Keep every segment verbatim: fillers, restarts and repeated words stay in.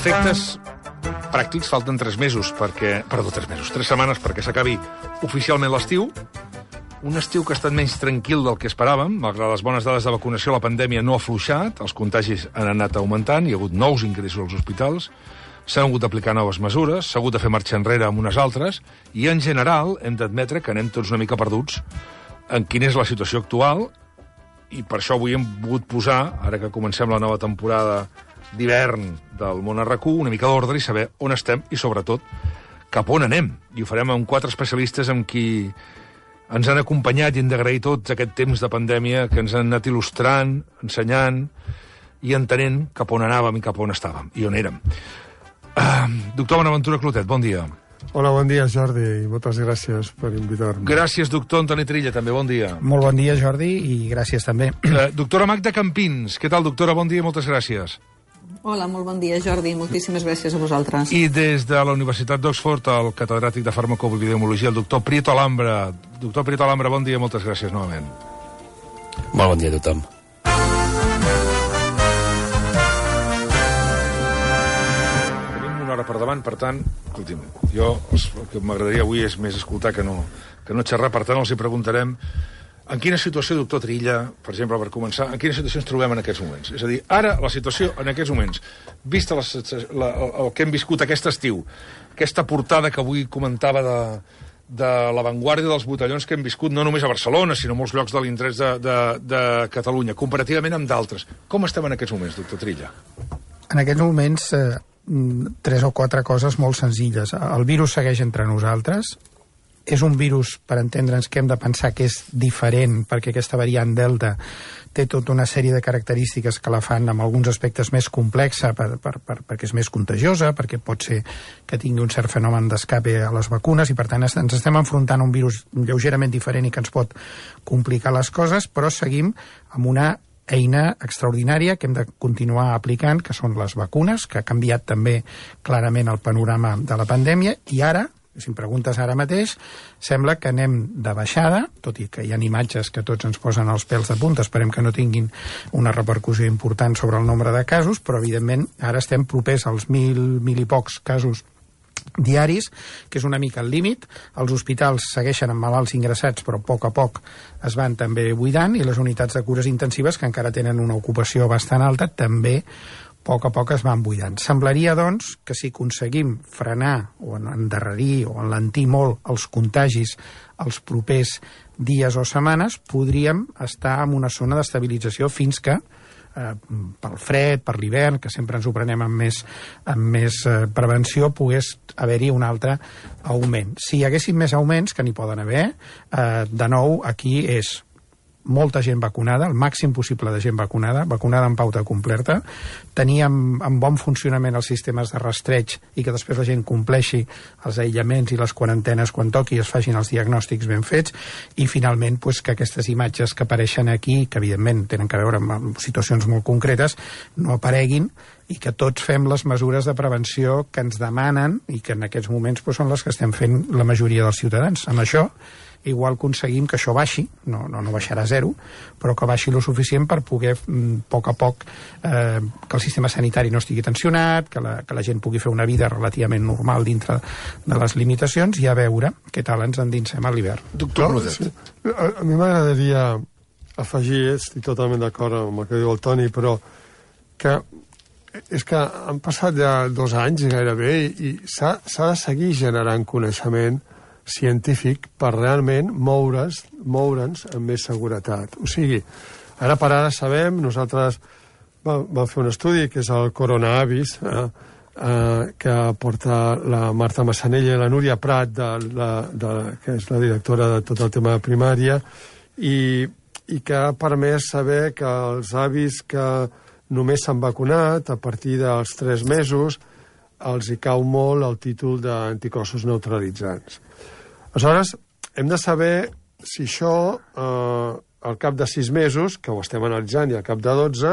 efectes pràctics falten tres mesos perquè... Perdó, tres mesos, tres setmanes perquè s'acabi oficialment l'estiu. Un estiu que ha estat menys tranquil del que esperàvem. Malgrat les bones dades de vacunació, la pandèmia no ha afluixat, els contagis han anat augmentant, hi ha hagut nous ingressos als hospitals, s'han hagut d'aplicar noves mesures, s'ha hagut de fer marxa enrere amb unes altres, i en general hem d'admetre que anem tots una mica perduts en quina és la situació actual, i per això avui hem volgut posar, ara que comencem la nova temporada d'hivern del Món a RAC u, una mica d'ordre i saber on estem i, sobretot, cap on anem. I ho farem amb quatre especialistes amb qui ens han acompanyat i hem d'agrair tots aquest temps de pandèmia que ens han anat il·lustrant, ensenyant i entenent cap on anàvem i cap on estàvem i on érem. Uh, doctor Bonaventura Clotet, bon dia. Hola, bon dia, Jordi, i moltes gràcies per invitar-me. Gràcies, doctor Antoni Trilla, també, bon dia. Molt bon dia, Jordi, i gràcies també. Uh, doctora Magda Campins, què tal, doctora? Bon dia i moltes gràcies. Hola, molt bon dia, Jordi. Moltíssimes gràcies a vosaltres. I des de la Universitat d'Oxford, el catedràtic de farmacoepidemiologia, el doctor Prieto Alhambra. Doctor Prieto Alhambra, bon dia i moltes gràcies novament. Molt bon dia a tothom. Tenim una hora per davant, per tant, escolti'm, jo el que m'agradaria avui és més escoltar que no, que no xerrar, per tant els hi preguntarem en quina situació, doctor Trilla, per exemple, per començar, en quina situació ens trobem en aquests moments? És a dir, ara, la situació en aquests moments, vista la, la, el que hem viscut aquest estiu, aquesta portada que avui comentava de, de l'avantguàrdia dels botellons que hem viscut no només a Barcelona, sinó a molts llocs de l'interès de, de, de Catalunya, comparativament amb d'altres. Com estem en aquests moments, doctor Trilla? En aquests moments, eh, tres o quatre coses molt senzilles. El virus segueix entre nosaltres. És un virus, per entendre'ns, que hem de pensar que és diferent, perquè aquesta variant Delta té tota una sèrie de característiques que la fan amb alguns aspectes més complexa, per, per, per, perquè és més contagiosa, perquè pot ser que tingui un cert fenomen d'escape a les vacunes, i per tant ens estem enfrontant a un virus lleugerament diferent i que ens pot complicar les coses, però seguim amb una eina extraordinària que hem de continuar aplicant, que són les vacunes, que ha canviat també clarament el panorama de la pandèmia, i ara, si em preguntes ara mateix, sembla que anem de baixada, tot i que hi ha imatges que tots ens posen els pèls de punta, esperem que no tinguin una repercussió important sobre el nombre de casos, però evidentment ara estem propers als mil, mil i pocs casos diaris, que és una mica el límit. Els hospitals segueixen amb malalts ingressats, però a poc a poc es van també buidant, i les unitats de cures intensives, que encara tenen una ocupació bastant alta, també a poc a poc es van buidant. Semblaria, doncs, que si aconseguim frenar o endarrerir o enlentir molt els contagis els propers dies o setmanes, podríem estar en una zona d'estabilització fins que, eh, pel fred, per l'hivern, que sempre ens ho prenem amb més, amb més eh, prevenció, pogués haver-hi un altre augment. Si hi haguessin més augments, que n'hi poden haver, eh, de nou, aquí és molta gent vacunada, el màxim possible de gent vacunada, vacunada en pauta completa, tenir en, en bon funcionament els sistemes de rastreig i que després la gent compleixi els aïllaments i les quarantenes quan toqui i es facin els diagnòstics ben fets, i finalment pues, que aquestes imatges que apareixen aquí, que evidentment tenen que veure amb, amb situacions molt concretes, no apareguin, i que tots fem les mesures de prevenció que ens demanen i que en aquests moments pues, són les que estem fent la majoria dels ciutadans. Amb això igual aconseguim que això baixi, no, no, no baixarà a zero, però que baixi lo suficient per poder, a poc a poc, eh, que el sistema sanitari no estigui tensionat, que la, que la gent pugui fer una vida relativament normal dintre de les limitacions, i a veure què tal ens endinsem a l'hivern. Doctor no, sí. A, a mi m'agradaria afegir, estic totalment d'acord amb el que diu el Toni, però que és que han passat ja dos anys gairebé i s'ha de seguir generant coneixement científic per realment moure's, moure'ns amb més seguretat. O sigui, ara per ara sabem, nosaltres vam, vam fer un estudi que és el Coronavirus, eh, eh, que porta la Marta Massanella i la Núria Prat, de la, de, que és la directora de tot el tema de primària, i, i que ha permès saber que els avis que només s'han vacunat a partir dels tres mesos els hi cau molt el títol d'anticossos neutralitzants. Aleshores, hem de saber si això, eh, al cap de sis mesos, que ho estem analitzant, i al cap de dotze,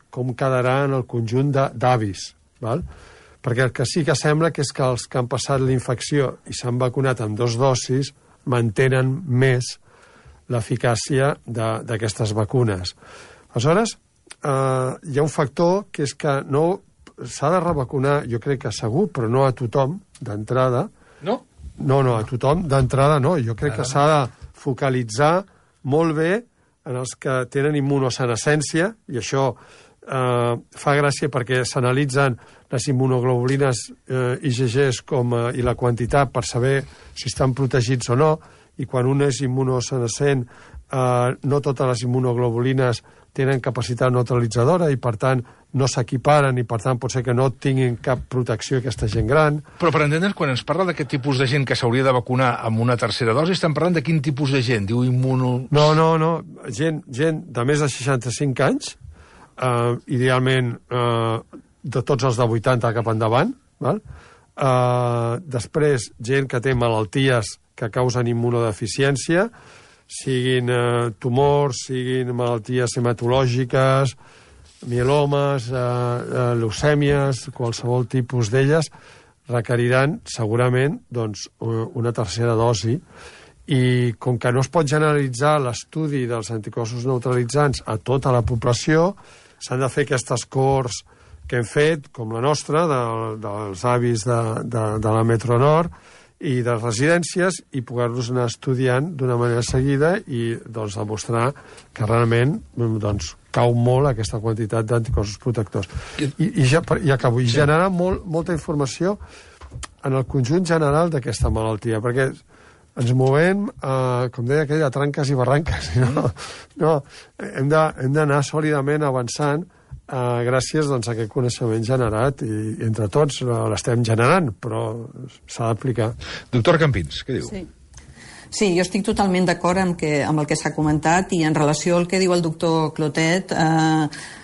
com quedarà en el conjunt d'avis. Perquè el que sí que sembla que és que els que han passat la infecció i s'han vacunat amb dos dosis mantenen més l'eficàcia d'aquestes vacunes. Aleshores, eh, hi ha un factor que és que no s'ha de revacunar, jo crec que segur, però no a tothom, d'entrada. No? No, no, a tothom, d'entrada no. Jo crec que s'ha de focalitzar molt bé en els que tenen immunosenescència, i això eh, fa gràcia perquè s'analitzen les immunoglobulines eh, I G Gs com, eh, i la quantitat per saber si estan protegits o no, i quan un és immunosenescent, eh, no totes les immunoglobulines tenen capacitat neutralitzadora i, per tant, no s'equiparen i, per tant, pot ser que no tinguin cap protecció aquesta gent gran. Però, per entendre, quan ens parla d'aquest tipus de gent que s'hauria de vacunar amb una tercera dosi, estem parlant de quin tipus de gent? Diu immuno... No, no, no. Gent, gent de més de seixanta-cinc anys, eh, idealment eh, de tots els de vuitanta cap endavant, val? Eh, després, gent que té malalties que causen immunodeficiència, siguin eh, tumors, siguin malalties hematològiques, mielomes, eh, eh, leucèmies, qualsevol tipus d'elles, requeriran segurament doncs, una tercera dosi. I com que no es pot generalitzar l'estudi dels anticossos neutralitzants a tota la població, s'han de fer aquestes cohorts que hem fet, com la nostra, de, dels avis de, de, de la Metro Nord, i de residències, i poder-los anar estudiant d'una manera seguida i doncs, demostrar que realment doncs, cau molt aquesta quantitat d'anticossos protectors. I, i, ja, i acabo. I generar molt, molta informació en el conjunt general d'aquesta malaltia, perquè ens movem, eh, com deia aquell, a tranques i barranques. No? No, hem d'anar sòlidament avançant Uh, gràcies doncs, a aquest coneixement generat, i, i entre tots uh, l'estem generant, però s'ha d'aplicar. Doctor Campins, què diu? Sí. Sí, jo estic totalment d'acord amb, que, amb el que s'ha comentat, i en relació al que diu el doctor Clotet, eh,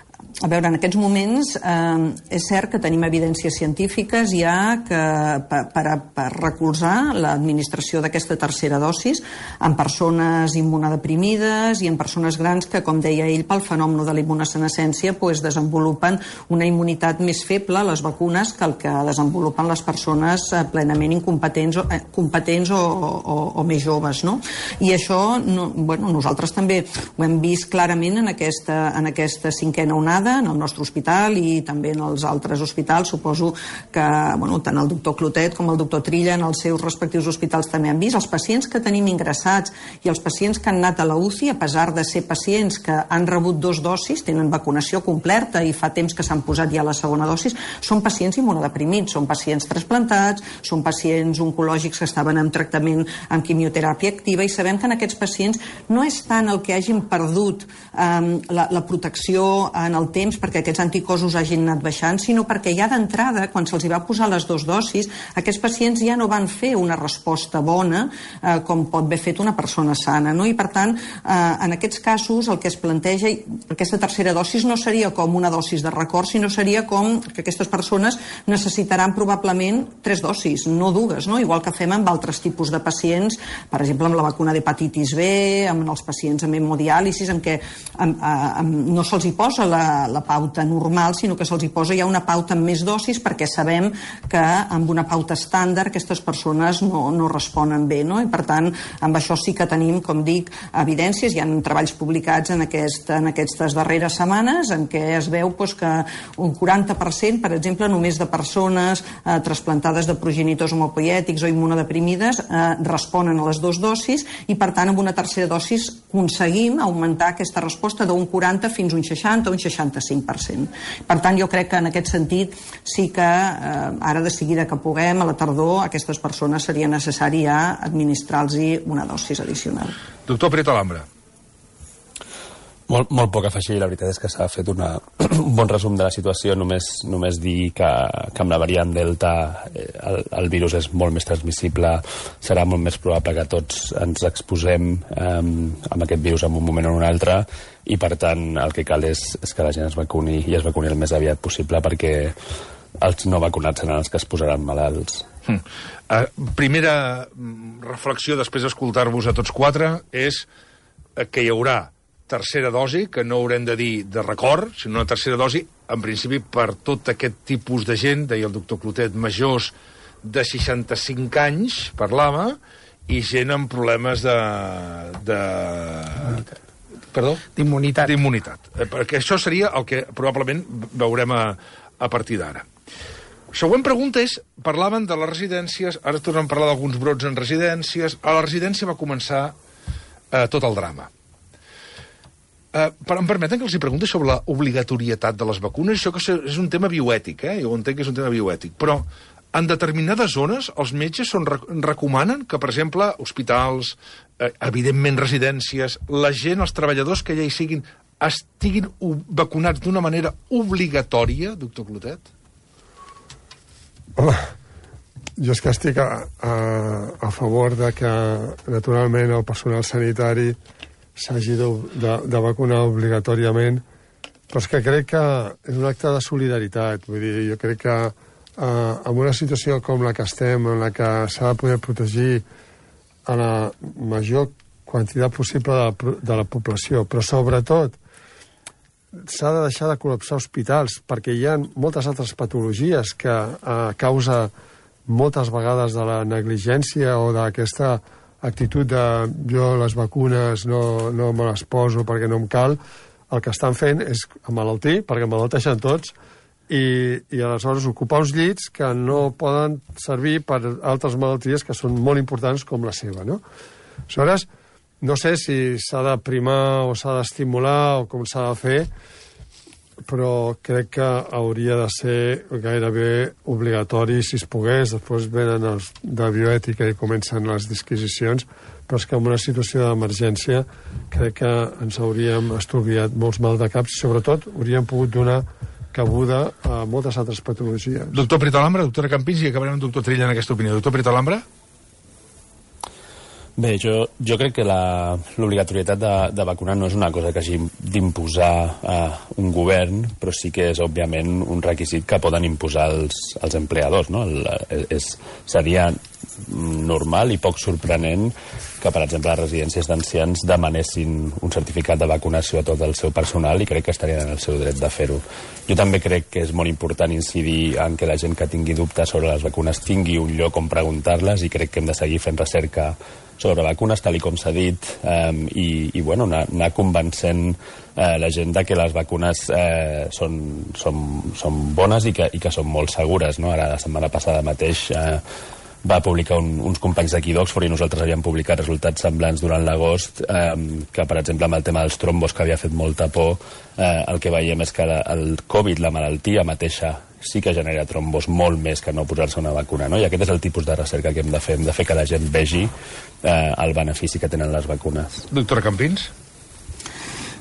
a veure, en aquests moments eh, és cert que tenim evidències científiques ja que per, per, per recolzar l'administració d'aquesta tercera dosis en persones immunodeprimides i en persones grans que, com deia ell, pel fenomen de la immunosenescència pues, desenvolupen una immunitat més feble a les vacunes que el que desenvolupen les persones eh, plenament incompetents o, eh, competents o, o, o més joves, no? I això, no, bueno, nosaltres també ho hem vist clarament en aquesta, en aquesta cinquena onada, en el nostre hospital i també en els altres hospitals. Suposo que bueno, tant el doctor Clotet com el doctor Trilla en els seus respectius hospitals també han vist. Els pacients que tenim ingressats i els pacients que han anat a la U C I, a pesar de ser pacients que han rebut dos dosis, tenen vacunació completa i fa temps que s'han posat ja la segona dosis, són pacients immunodeprimits, són pacients trasplantats, són pacients oncològics que estaven en tractament amb quimioteràpia activa, i sabem que en aquests pacients no és tant el que hagin perdut eh, la, la protecció en el temps perquè aquests anticossos hagin anat baixant, sinó perquè ja d'entrada, quan se'ls va posar les dues dosis, aquests pacients ja no van fer una resposta bona eh, com pot haver fet una persona sana, no? I per tant, eh, en aquests casos el que es planteja, aquesta tercera dosis no seria com una dosis de record, sinó seria com que aquestes persones necessitaran probablement tres dosis, no dues, no? Igual que fem amb altres tipus de pacients, per exemple amb la vacuna d'hepatitis B, amb els pacients amb hemodiàlisis, en què amb, amb, no se'ls hi posa la la pauta normal, sinó que se'ls hi posa ja una pauta amb més dosis perquè sabem que amb una pauta estàndard aquestes persones no, no responen bé, no? I per tant, amb això sí que tenim, com dic, evidències, hi ha treballs publicats en, aquest, en aquestes darreres setmanes en què es veu pues, que un quaranta per cent, per exemple, només de persones eh, trasplantades de progenitors homopoiètics o immunodeprimides eh, responen a les dues dosis, i per tant amb una tercera dosis aconseguim augmentar aquesta resposta d'un quaranta fins a un seixanta o un seixanta-cinc per cent. Per tant, jo crec que en aquest sentit sí que eh, ara de seguida que puguem, a la tardor, a aquestes persones seria necessari ja administrar-los una dosis addicional. Doctor Prieto Alhambra. Molt, molt poc a afegir, la veritat és que s'ha fet una, un bon resum de la situació, només, només dir que, que amb la variant Delta eh, el, el virus és molt més transmissible, serà molt més probable que tots ens exposem eh, amb aquest virus en un moment o en un altre, i per tant el que cal és, és que la gent es vacuni i es vacuni el més aviat possible, perquè els no vacunats seran els que es posaran malalts. Hmm. Uh, primera reflexió després d'escoltar-vos a tots quatre és que hi haurà tercera dosi, que no haurem de dir de record, sinó una tercera dosi, en principi, per tot aquest tipus de gent, deia el doctor Clotet, majors de seixanta-cinc anys, parlava, i gent amb problemes de... de... Perdó? D'immunitat. D'immunitat. Perquè això seria el que probablement veurem a, a partir d'ara. Següent pregunta és, parlaven de les residències, ara tornem a parlar d'alguns brots en residències. A la residència va començar eh, tot el drama. Eh, però em permeten que els hi pregunti sobre la obligatorietat de les vacunes? Això que és un tema bioètic, eh? Jo entenc que és un tema bioètic, però en determinades zones els metges són, recomanen que, per exemple, hospitals, eh, evidentment residències, la gent, els treballadors que ja hi siguin, estiguin vacunats d'una manera obligatòria, doctor Clotet? Home, jo és que estic a, a, a favor de que, naturalment, el personal sanitari s'hagi de, de, de vacunar obligatòriament, però és que crec que és un acte de solidaritat. Vull dir, jo crec que eh, en una situació com la que estem, en la que s'ha de poder protegir a la major quantitat possible de la, de la població, però sobretot s'ha de deixar de col·lapsar hospitals, perquè hi ha moltes altres patologies que a causa moltes vegades de la negligència o d'aquesta actitud de jo les vacunes no, no me les poso perquè no em cal, el que estan fent és emmalaltir, perquè emmalalteixen tots, i, i aleshores ocupar uns llits que no poden servir per altres malalties que són molt importants com la seva, no? Aleshores, no sé si s'ha de primar o s'ha d'estimular o com s'ha de fer, però crec que hauria de ser gairebé obligatori si es pogués. Després venen els de bioètica i comencen les disquisicions, però és que en una situació d'emergència crec que ens hauríem estalviat molts maldecaps i sobretot hauríem pogut donar cabuda a moltes altres patologies. Doctor Pritalambra, doctora Campins, i acabarem amb doctor Trilla en aquesta opinió. Doctor Pritalambra? Bé, jo, jo crec que l'obligatorietat de, de vacunar no és una cosa que hagi d'imposar eh, un govern, però sí que és, òbviament, un requisit que poden imposar els, els empleadors, no? El, és, seria normal i poc sorprenent que, per exemple, les residències d'ancians demanessin un certificat de vacunació a tot el seu personal i crec que estarien en el seu dret de fer-ho. Jo també crec que és molt important incidir en que la gent que tingui dubtes sobre les vacunes tingui un lloc on preguntar-les i crec que hem de seguir fent recerca sobre vacunes, tal com s'ha dit, eh, i, i bueno, anar, anar convencent eh, la gent de que les vacunes eh, són, són, són bones i que, i que són molt segures, no? Ara, la setmana passada mateix eh, va publicar un, uns companys d'aquí d'Oxford i nosaltres havíem publicat resultats semblants durant l'agost, eh, que, per exemple, amb el tema dels trombos, que havia fet molta por, eh, el que veiem és que el Covid, la malaltia mateixa, sí que genera trombos molt més que no posar-se una vacuna, no? I aquest és el tipus de recerca que hem de fer. Hem de fer que la gent vegi eh, el benefici que tenen les vacunes. Doctora Campins?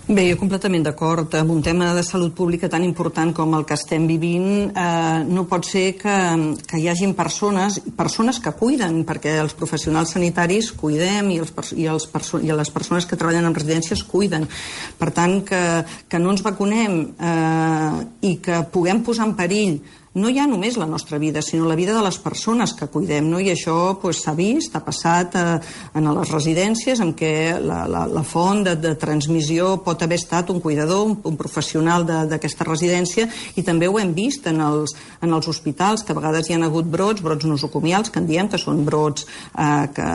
Bé, jo completament d'acord. Amb un tema de salut pública tan important com el que estem vivint, eh, no pot ser que, que hi hagin persones, persones que cuiden, perquè els professionals sanitaris cuidem i, els, i, els perso i les persones que treballen en residències cuiden. Per tant, que, que no ens vacunem eh, i que puguem posar en perill no hi ha només la nostra vida, sinó la vida de les persones que cuidem, no? I això pues, s'ha vist, ha passat eh, en les residències en què la, la, la font de, de transmissió pot haver estat un cuidador, un, un professional d'aquesta residència, i també ho hem vist en els, en els hospitals, que a vegades hi ha hagut brots, brots nosocomials, que en diem que són brots eh, que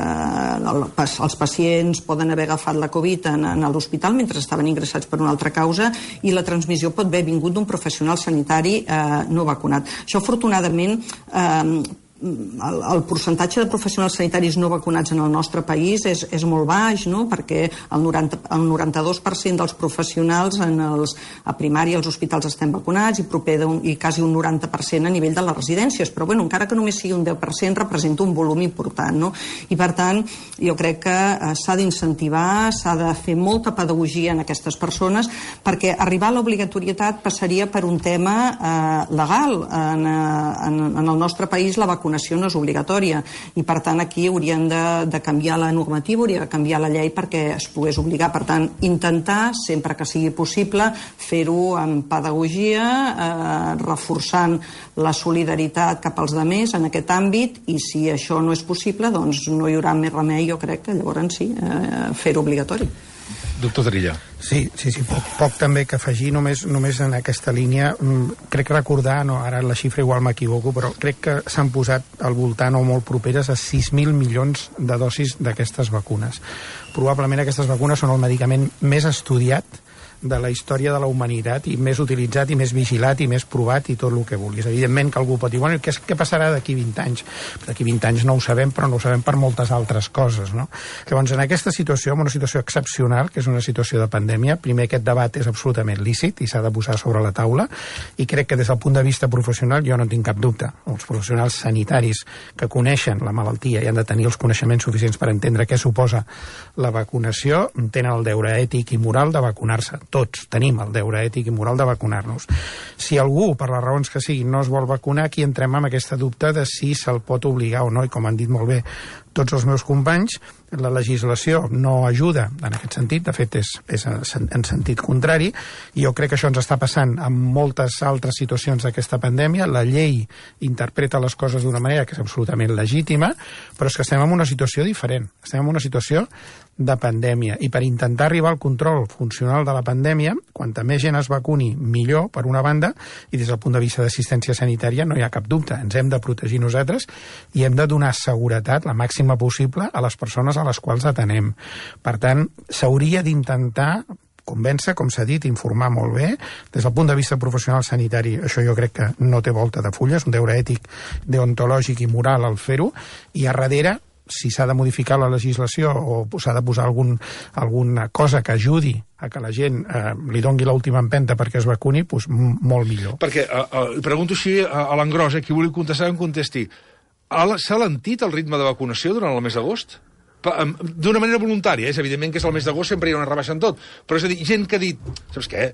el, els pacients poden haver agafat la Covid en, en l'hospital mentre estaven ingressats per una altra causa, i la transmissió pot haver vingut d'un professional sanitari eh, no vacunat. Això, afortunadament, eh, el, el percentatge de professionals sanitaris no vacunats en el nostre país és, és molt baix, no? Perquè el, noranta, el noranta-dos per cent dels professionals en els, a primària als hospitals estem vacunats i proper d'un, i quasi un noranta per cent a nivell de les residències, però bueno, encara que només sigui un deu per cent representa un volum important, no? I per tant, jo crec que eh, s'ha d'incentivar, s'ha de fer molta pedagogia en aquestes persones, perquè arribar a l'obligatorietat passaria per un tema eh, legal. En, en, en el nostre país la vacunació vacunació no és obligatòria i, per tant, aquí haurien de, de canviar la normativa, hauria de canviar la llei perquè es pogués obligar. Per tant, intentar, sempre que sigui possible, fer-ho amb pedagogia, eh, reforçant la solidaritat cap als demés en aquest àmbit, i si això no és possible, doncs no hi haurà més remei, jo crec que llavors sí, eh, fer-ho obligatori. Doctor Trilla. Sí, sí, sí, poc, poc també que afegir, només, només en aquesta línia. Crec recordar, no, ara la xifra igual m'equivoco, però crec que s'han posat al voltant o molt properes a sis mil milions de dosis d'aquestes vacunes. Probablement aquestes vacunes són el medicament més estudiat de la història de la humanitat, i més utilitzat, i més vigilat, i més provat, i tot el que vulguis. Evidentment que algú pot dir, bueno, què, què passarà d'aquí vint anys? D'aquí vint anys no ho sabem, però no ho sabem per moltes altres coses, no? Llavors, en aquesta situació, en una situació excepcional, que és una situació de pandèmia, primer, aquest debat és absolutament lícit i s'ha de posar sobre la taula, i crec que des del punt de vista professional jo no tinc cap dubte. Els professionals sanitaris que coneixen la malaltia i han de tenir els coneixements suficients per entendre què suposa la vacunació, tenen el deure ètic i moral de vacunar-se. Tots tenim el deure ètic i moral de vacunar-nos. Si algú, per les raons que siguin, no es vol vacunar, aquí entrem amb aquesta dubte de si se'l pot obligar o no, i com han dit molt bé tots els meus companys, la legislació no ajuda en aquest sentit, de fet és, és en sentit contrari, i jo crec que això ens està passant en moltes altres situacions d'aquesta pandèmia. La llei interpreta les coses d'una manera que és absolutament legítima, però és que estem en una situació diferent, estem en una situació de pandèmia, i per intentar arribar al control funcional de la pandèmia, quanta més gent es vacuni, millor, per una banda, i des del punt de vista d'assistència sanitària no hi ha cap dubte, ens hem de protegir nosaltres i hem de donar seguretat, la màxima possible, a les persones a les quals atenem. Per tant, s'hauria d'intentar convèncer, com s'ha dit, informar molt bé. Des del punt de vista professional sanitari, això jo crec que no té volta de fulla, és un deure ètic, deontològic i moral al fer-ho, i a darrere, si s'ha de modificar la legislació o s'ha de posar algun, alguna cosa que ajudi a que la gent eh, li dongui l'última empenta perquè es vacuni, doncs molt millor. Perquè, eh, eh, pregunto així a, a l'engròs, eh, qui vulgui contestar, em contesti. S'ha alentit el ritme de vacunació durant el mes d'agost? D'una manera voluntària, és evidentment que és el mes d'agost, sempre hi ha una rebaixa en tot, però és a dir, gent que ha dit, saps què,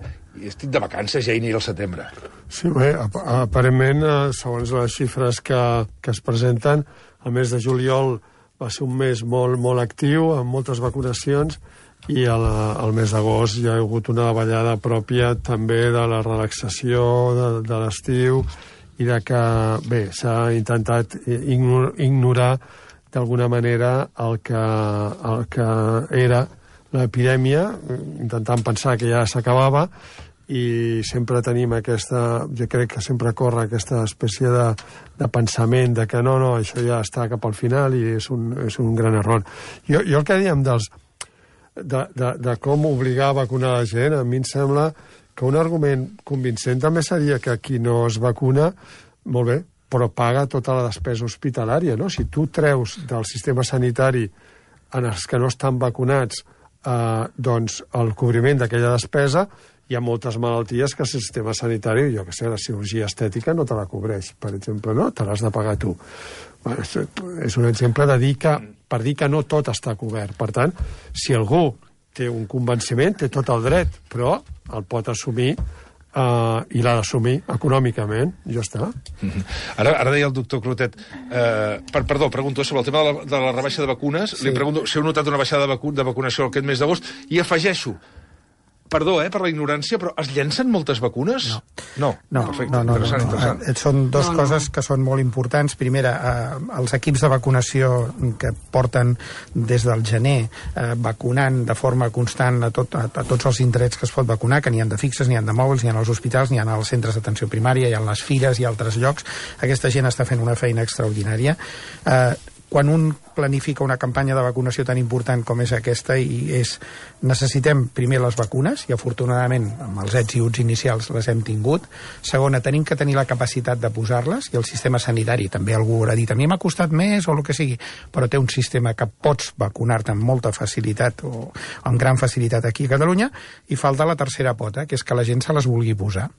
estic de vacances, ja hi aniré al setembre. Sí, bé, aparentment, segons les xifres que, que es presenten, el mes de juliol va ser un mes molt, molt actiu, amb moltes vacunacions, i el, el mes d'agost hi ha hagut una davallada pròpia també de la relaxació de, de l'estiu, i de que, bé, s'ha intentat ignorar d'alguna manera el que, el que era l'epidèmia, intentant pensar que ja s'acabava, i sempre tenim aquesta, jo crec que sempre corre aquesta espècie de, de pensament de que no, no, això ja està cap al final, i és un, és un gran error. Jo, jo el que dèiem dels, de, de, de com obligar a vacunar la gent, a mi em sembla que un argument convincent també seria que qui no es vacuna, molt bé, però paga tota la despesa hospitalària, no? Si tu treus del sistema sanitari en els que no estan vacunats eh, doncs el cobriment d'aquella despesa, hi ha moltes malalties que el sistema sanitari, jo que sé, la cirurgia estètica no te la cobreix, per exemple, no? Te l'has de pagar tu. Bueno, és un exemple de dir que, per dir que no tot està cobert. Per tant, si algú té un convenciment, té tot el dret, però el pot assumir Uh, i l'ha d'assumir econòmicament, i ja està. Mm-hmm. Ara, ara deia el doctor Clotet, eh, per, perdó, pregunto sobre el tema de la, de la rebaixa de vacunes, sí. Li pregunto si heu notat una baixada de, vacu de vacunació aquest mes d'agost, i afegeixo, perdó, eh, per la ignorància, però es llencen moltes vacunes? No. No, no perfecte, no, no, interessant, no, no. interessant. Eh, són dues no, no. coses que són molt importants. Primera, eh, els equips de vacunació que porten des del gener eh, vacunant de forma constant a, tot, a, a tots els indrets que es pot vacunar, que n'hi ha de fixes, n'hi ha de mòbils, n'hi ha als hospitals, n'hi ha als centres d'atenció primària, hi ha les fires i altres llocs. Aquesta gent està fent una feina extraordinària. Eh, quan un planifica una campanya de vacunació tan important com és aquesta, i és, necessitem primer les vacunes, i afortunadament amb els ets i uts inicials les hem tingut. Segona, tenim que tenir la capacitat de posar-les, i el sistema sanitari, també algú haurà dit, a mi m'ha costat més o el que sigui, però té un sistema que pots vacunar-te amb molta facilitat o amb gran facilitat aquí a Catalunya. I falta la tercera pota, que és que la gent se les vulgui posar.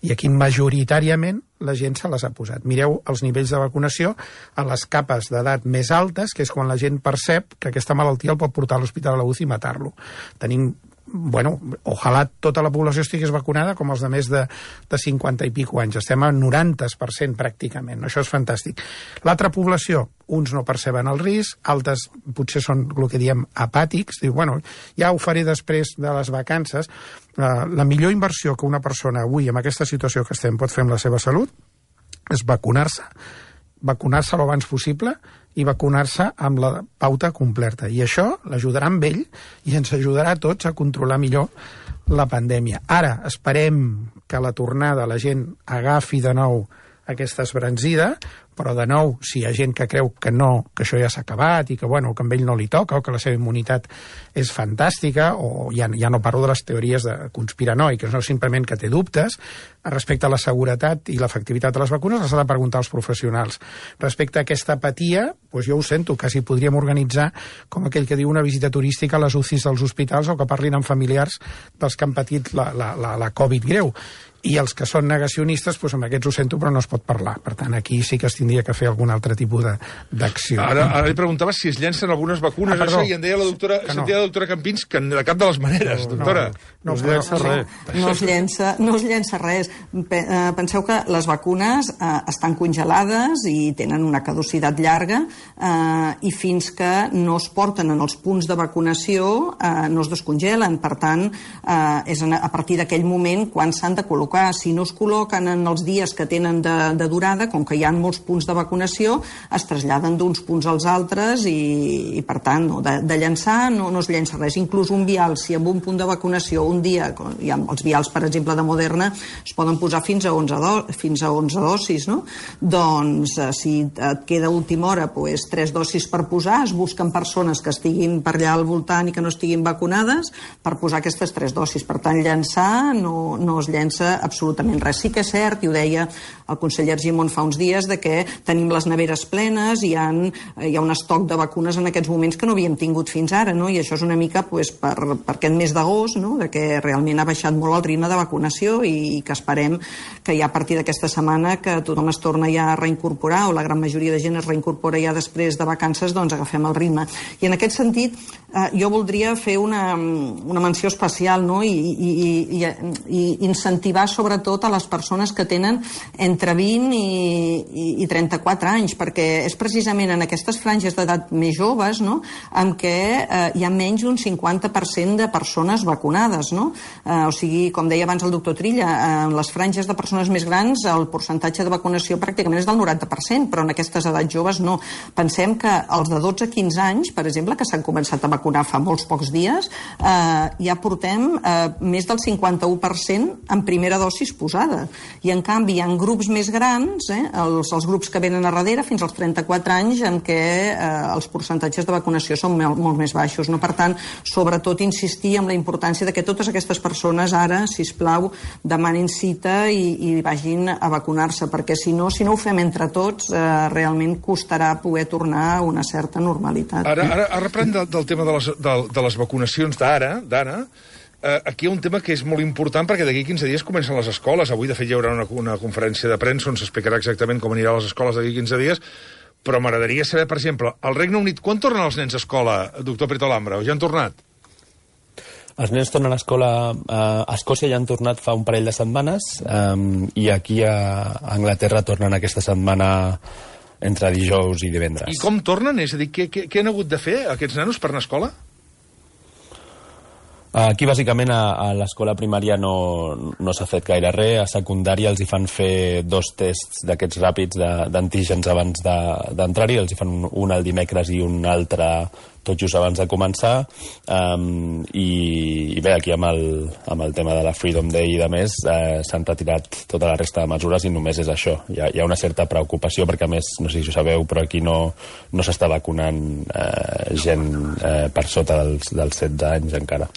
I aquí majoritàriament la gent se les ha posat. Mireu els nivells de vacunació a les capes d'edat més altes, que és quan la gent percep que aquesta malaltia el pot portar a l'hospital a la U C I i matar-lo. Tenim, bueno, ojalà tota la població estigués vacunada com els de més de, de cinquanta i pico anys. Estem a noranta per cent pràcticament. Això és fantàstic. L'altra població, uns no perceben el risc, altres potser són el que diem apàtics, diu, bueno, ja ho faré després de les vacances. Uh, la millor inversió que una persona avui, en aquesta situació que estem, pot fer amb la seva salut és vacunar-se. Vacunar-se l'abans possible i vacunar-se amb la pauta completa. I això l'ajudarà amb ell i ens ajudarà a tots a controlar millor la pandèmia. Ara esperem que a la tornada la gent agafi de nou aquesta esbranzida, però de nou, si hi ha gent que creu que no, que això ja s'ha acabat i que, bueno, que a ell no li toca o que la seva immunitat és fantàstica, o ja, ja no parlo de les teories de conspiranoiques, no simplement que té dubtes, respecte a la seguretat i l'efectivitat de les vacunes les ha de preguntar als professionals. Respecte a aquesta apatia, doncs jo ho sento, quasi podríem organitzar com aquell que diu una visita turística a les U C Is dels hospitals o que parlin amb familiars dels que han patit la, la, la, la Covid greu. I els que són negacionistes, doncs amb aquests ho sento, però no es pot parlar. Per tant, aquí sí que es tindria que fer algun altre tipus d'acció. Ara, ara li preguntava si es llencen algunes vacunes, ah, perdó, això, i em deia la doctora, que no. sentia la doctora Campins que de cap de les maneres, no, doctora. No, no, no, no es llença no, res. No es llença, no es llença res. Penseu que les vacunes eh, estan congelades i tenen una caducitat llarga eh, i fins que no es porten en els punts de vacunació eh, no es descongelen. Per tant, eh, és a partir d'aquell moment quan s'han de col·locar. Si no es col·loquen en els dies que tenen de, de durada, com que hi ha molts punts de vacunació, es traslladen d'uns punts als altres i, i per tant, no, de, de llançar no, no es llença res. Inclús un vial, si en un punt de vacunació un dia, hi ha els vials, per exemple, de Moderna, es poden posar fins a onze, do, fins a onze dosis, no? Doncs, eh, si et queda a última hora pues, tres dosis per posar, es busquen persones que estiguin per allà al voltant i que no estiguin vacunades per posar aquestes tres dosis. Per tant, llançar no, no es llença absolutament res. Sí que és cert, i ho deia el conseller Argimon fa uns dies, de que tenim les neveres plenes, hi ha, hi ha un estoc de vacunes en aquests moments que no havíem tingut fins ara, no? I això és una mica pues, per, per aquest mes d'agost, no? De que realment ha baixat molt el ritme de vacunació i, i que esperem que ja a partir d'aquesta setmana que tothom es torna ja a reincorporar, o la gran majoria de gent es reincorpora ja després de vacances, doncs agafem el ritme. I en aquest sentit, eh, jo voldria fer una, una menció especial, no? I, i, i, i incentivar sobretot a les persones que tenen entre vint i, i, i trenta-quatre anys, perquè és precisament en aquestes franges d'edat més joves, no?, en què eh, hi ha menys d'un cinquanta per cent de persones vacunades, no? Eh, o sigui, com deia abans el doctor Trilla, en les franges de persones més grans el percentatge de vacunació pràcticament és del noranta per cent, però en aquestes edats joves no. Pensem que els de dotze a quinze anys, per exemple, que s'han començat a vacunar fa molts pocs dies, eh, ja portem eh, més del cinquanta-u per cent en primera dosis posada. I en canvi hi ha grups més grans, eh, els, els grups que venen a darrere, fins als trenta-quatre anys, en què eh, els percentatges de vacunació són molt, molt més baixos. No? Per tant, sobretot insistir en la importància de que totes aquestes persones ara, sisplau, demanin cita i, i vagin a vacunar-se, perquè si no, si no ho fem entre tots, eh, realment costarà poder tornar a una certa normalitat. Ara, ara, ara reprèn del, del tema de les, de, de les vacunacions d'ara, d'ara, Uh, aquí hi ha un tema que és molt important perquè d'aquí quinze dies comencen les escoles. Avui, de fet, hi haurà una, una conferència de premsa on s'explicarà exactament com anirà a les escoles d'aquí quinze dies, però m'agradaria saber, per exemple, al Regne Unit, quan tornen els nens a escola, doctor Prieto Lambra? O ja han tornat? Els nens tornen a escola a Escòcia, ja han tornat fa un parell de setmanes, um, i aquí a Anglaterra tornen aquesta setmana entre dijous i divendres. I com tornen? És a dir, què, què, què han hagut de fer aquests nanos per anar a escola? Aquí, bàsicament, a, a l'escola primària no, no s'ha fet gaire res. A secundària els hi fan fer dos tests d'aquests ràpids d'antígens abans d'entrar-hi. Els hi fan un, un el dimecres i un altre tot just abans de començar. Um, i, I bé, aquí amb el, amb el tema de la Freedom Day i de més, eh, s'han retirat tota la resta de mesures i només és això. Hi ha, hi ha una certa preocupació perquè, a més, no sé si ho sabeu, però aquí no, no s'està vacunant eh, gent eh, per sota dels, dels setze anys encara.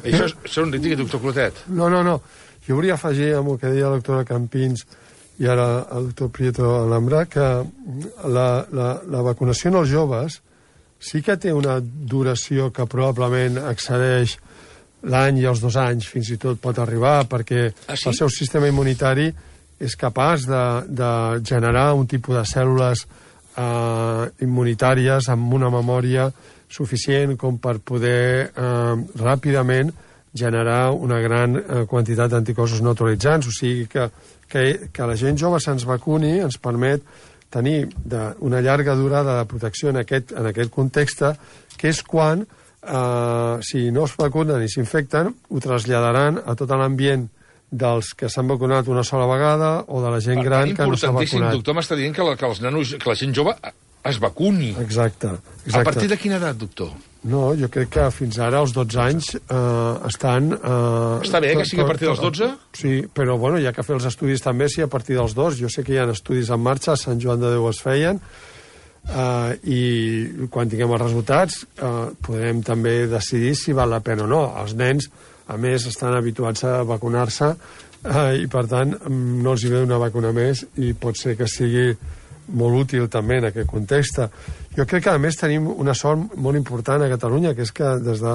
Això és, això és un digui, doctor Clotet. No, no, no. Jo volia afegir amb el que deia la doctora Campins i ara el doctor Prieto Lambra que la, la, la vacunació en els joves sí que té una duració que probablement excedeix l'any i els dos anys, fins i tot pot arribar, perquè ah, sí? el seu sistema immunitari és capaç de, de generar un tipus de cèl·lules eh, immunitàries amb una memòria suficient com per poder eh, ràpidament generar una gran eh, quantitat d'anticossos neutralitzants. O sigui que, que, que la gent jove se'ns vacuni ens permet tenir de, una llarga durada de protecció en aquest, en aquest context, que és quan, eh, si no es vacunen i s'infecten, ho traslladaran a tot l'ambient dels que s'han vacunat una sola vegada o de la gent gran que no s'ha vacunat. Doctor, m'està dient que la, que els nanos, que la gent jove es vacuni. Exacte, exacte. A partir de quina edat, doctor? No, jo crec que fins ara, als dotze anys, eh, estan... Eh, Està bé que sigui a partir dels dotze? Sí, però bueno, hi ha que fer els estudis també, sí, a partir dels dos. Jo sé que hi ha estudis en marxa, a Sant Joan de Déu es feien, eh, i quan tinguem els resultats eh, podrem també decidir si val la pena o no. Els nens, a més, estan habituats a vacunar-se eh, i, per tant, no els hi ve una vacuna més i pot ser que sigui molt útil també en aquest context. Jo crec que, a més, tenim una sort molt important a Catalunya, que és que des de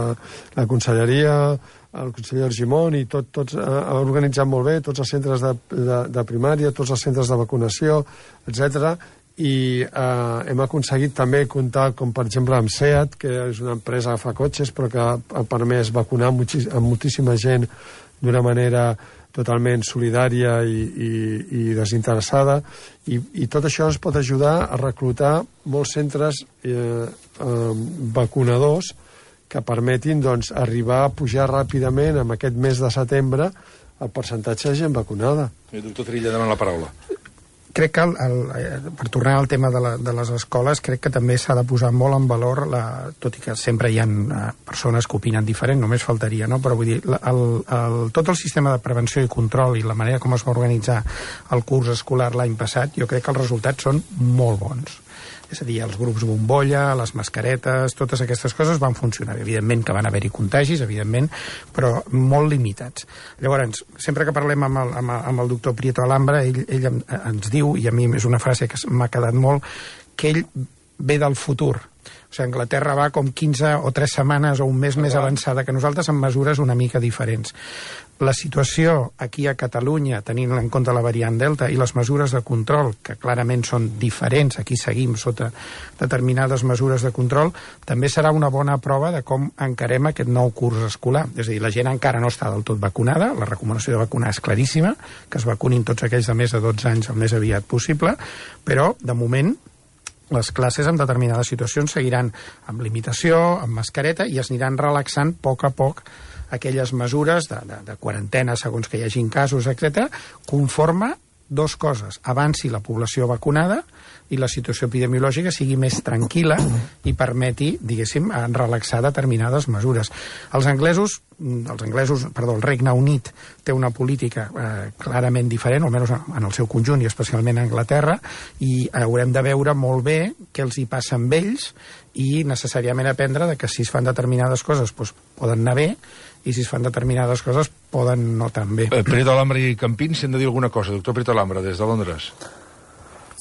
la Conselleria, el conseller Argimon i tot, tots ha organitzat molt bé tots els centres de, de, de primària, tots els centres de vacunació, etcètera, i eh, hem aconseguit també comptar, com per exemple amb SEAT, que és una empresa que fa cotxes però que ha permès vacunar amb moltíssima gent d'una manera totalment solidària i, i, i desinteressada, i, i tot això ens pot ajudar a reclutar molts centres eh, eh, vacunadors que permetin, doncs, arribar a pujar ràpidament en aquest mes de setembre el percentatge de gent vacunada. El doctor Trilla demana la paraula. Crec que, el, el, per tornar al tema de, la, de les escoles, crec que també s'ha de posar molt en valor, la, tot i que sempre hi ha uh, persones que opinen diferent, només faltaria, no? Però vull dir, el, el, tot el sistema de prevenció i control i la manera com es va organitzar el curs escolar l'any passat, jo crec que els resultats són molt bons. És a dir, els grups bombolla, les mascaretes, totes aquestes coses van funcionar. Evidentment que van haver-hi contagis, evidentment, però molt limitats. Llavors, sempre que parlem amb el, amb, amb el doctor Prieto Alhambra, ell, ell ens diu, i a mi és una frase que m'ha quedat molt, que ell ve del futur. O sigui, Anglaterra va com quinze o tres setmanes o un mes més avançada que nosaltres amb mesures una mica diferents. La situació aquí a Catalunya, tenint en compte la variant Delta i les mesures de control, que clarament són diferents, aquí seguim sota determinades mesures de control, també serà una bona prova de com encarem aquest nou curs escolar. És a dir, la gent encara no està del tot vacunada, la recomanació de vacunar és claríssima, que es vacunin tots aquells de més de dotze anys el més aviat possible, però, de moment, les classes en determinades situacions seguiran amb limitació, amb mascareta, i es aniran relaxant a poc a poc aquelles mesures de, de, de quarantena segons que hi hagin casos, etcètera, conforme dos coses: avanci la població vacunada i la situació epidemiològica sigui més tranquil·la i permeti, diguéssim, relaxar determinades mesures. Els anglesos, els anglesos, perdó, el Regne Unit té una política eh, clarament diferent, almenys en el seu conjunt i especialment a Anglaterra, i haurem de veure molt bé què els hi passa amb ells i necessàriament aprendre de que si es fan determinades coses doncs, poden anar bé, i si es fan determinades coses poden no tan bé. Eh, Prieto Alhambra i Campins, si hem de dir alguna cosa. Doctor Prieto Alhambra, des de Londres.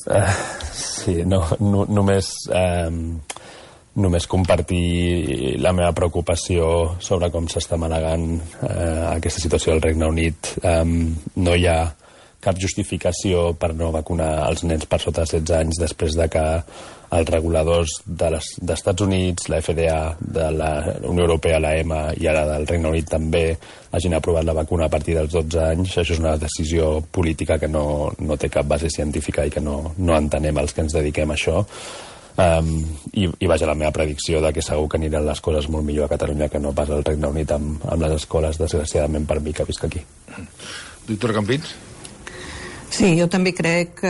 Uh, sí, no, no, només, um, només compartir la meva preocupació sobre com s'està manegant uh, aquesta situació al Regne Unit. Um, no hi ha cap justificació per no vacunar els nens per sota de setze anys després de que els reguladors de les, dels Estats Units, la F D A, de la Unió Europea, la E M A i ara del Regne Unit també hagin aprovat la vacuna a partir dels dotze anys. Això és una decisió política que no, no té cap base científica i que no, no entenem els que ens dediquem a això. Um, i, i vaja, la meva predicció de que segur que aniran les coses molt millor a Catalunya que no pas al Regne Unit amb, amb les escoles, desgraciadament per mi que visc aquí. Doctor Campins? Sí, jo també crec que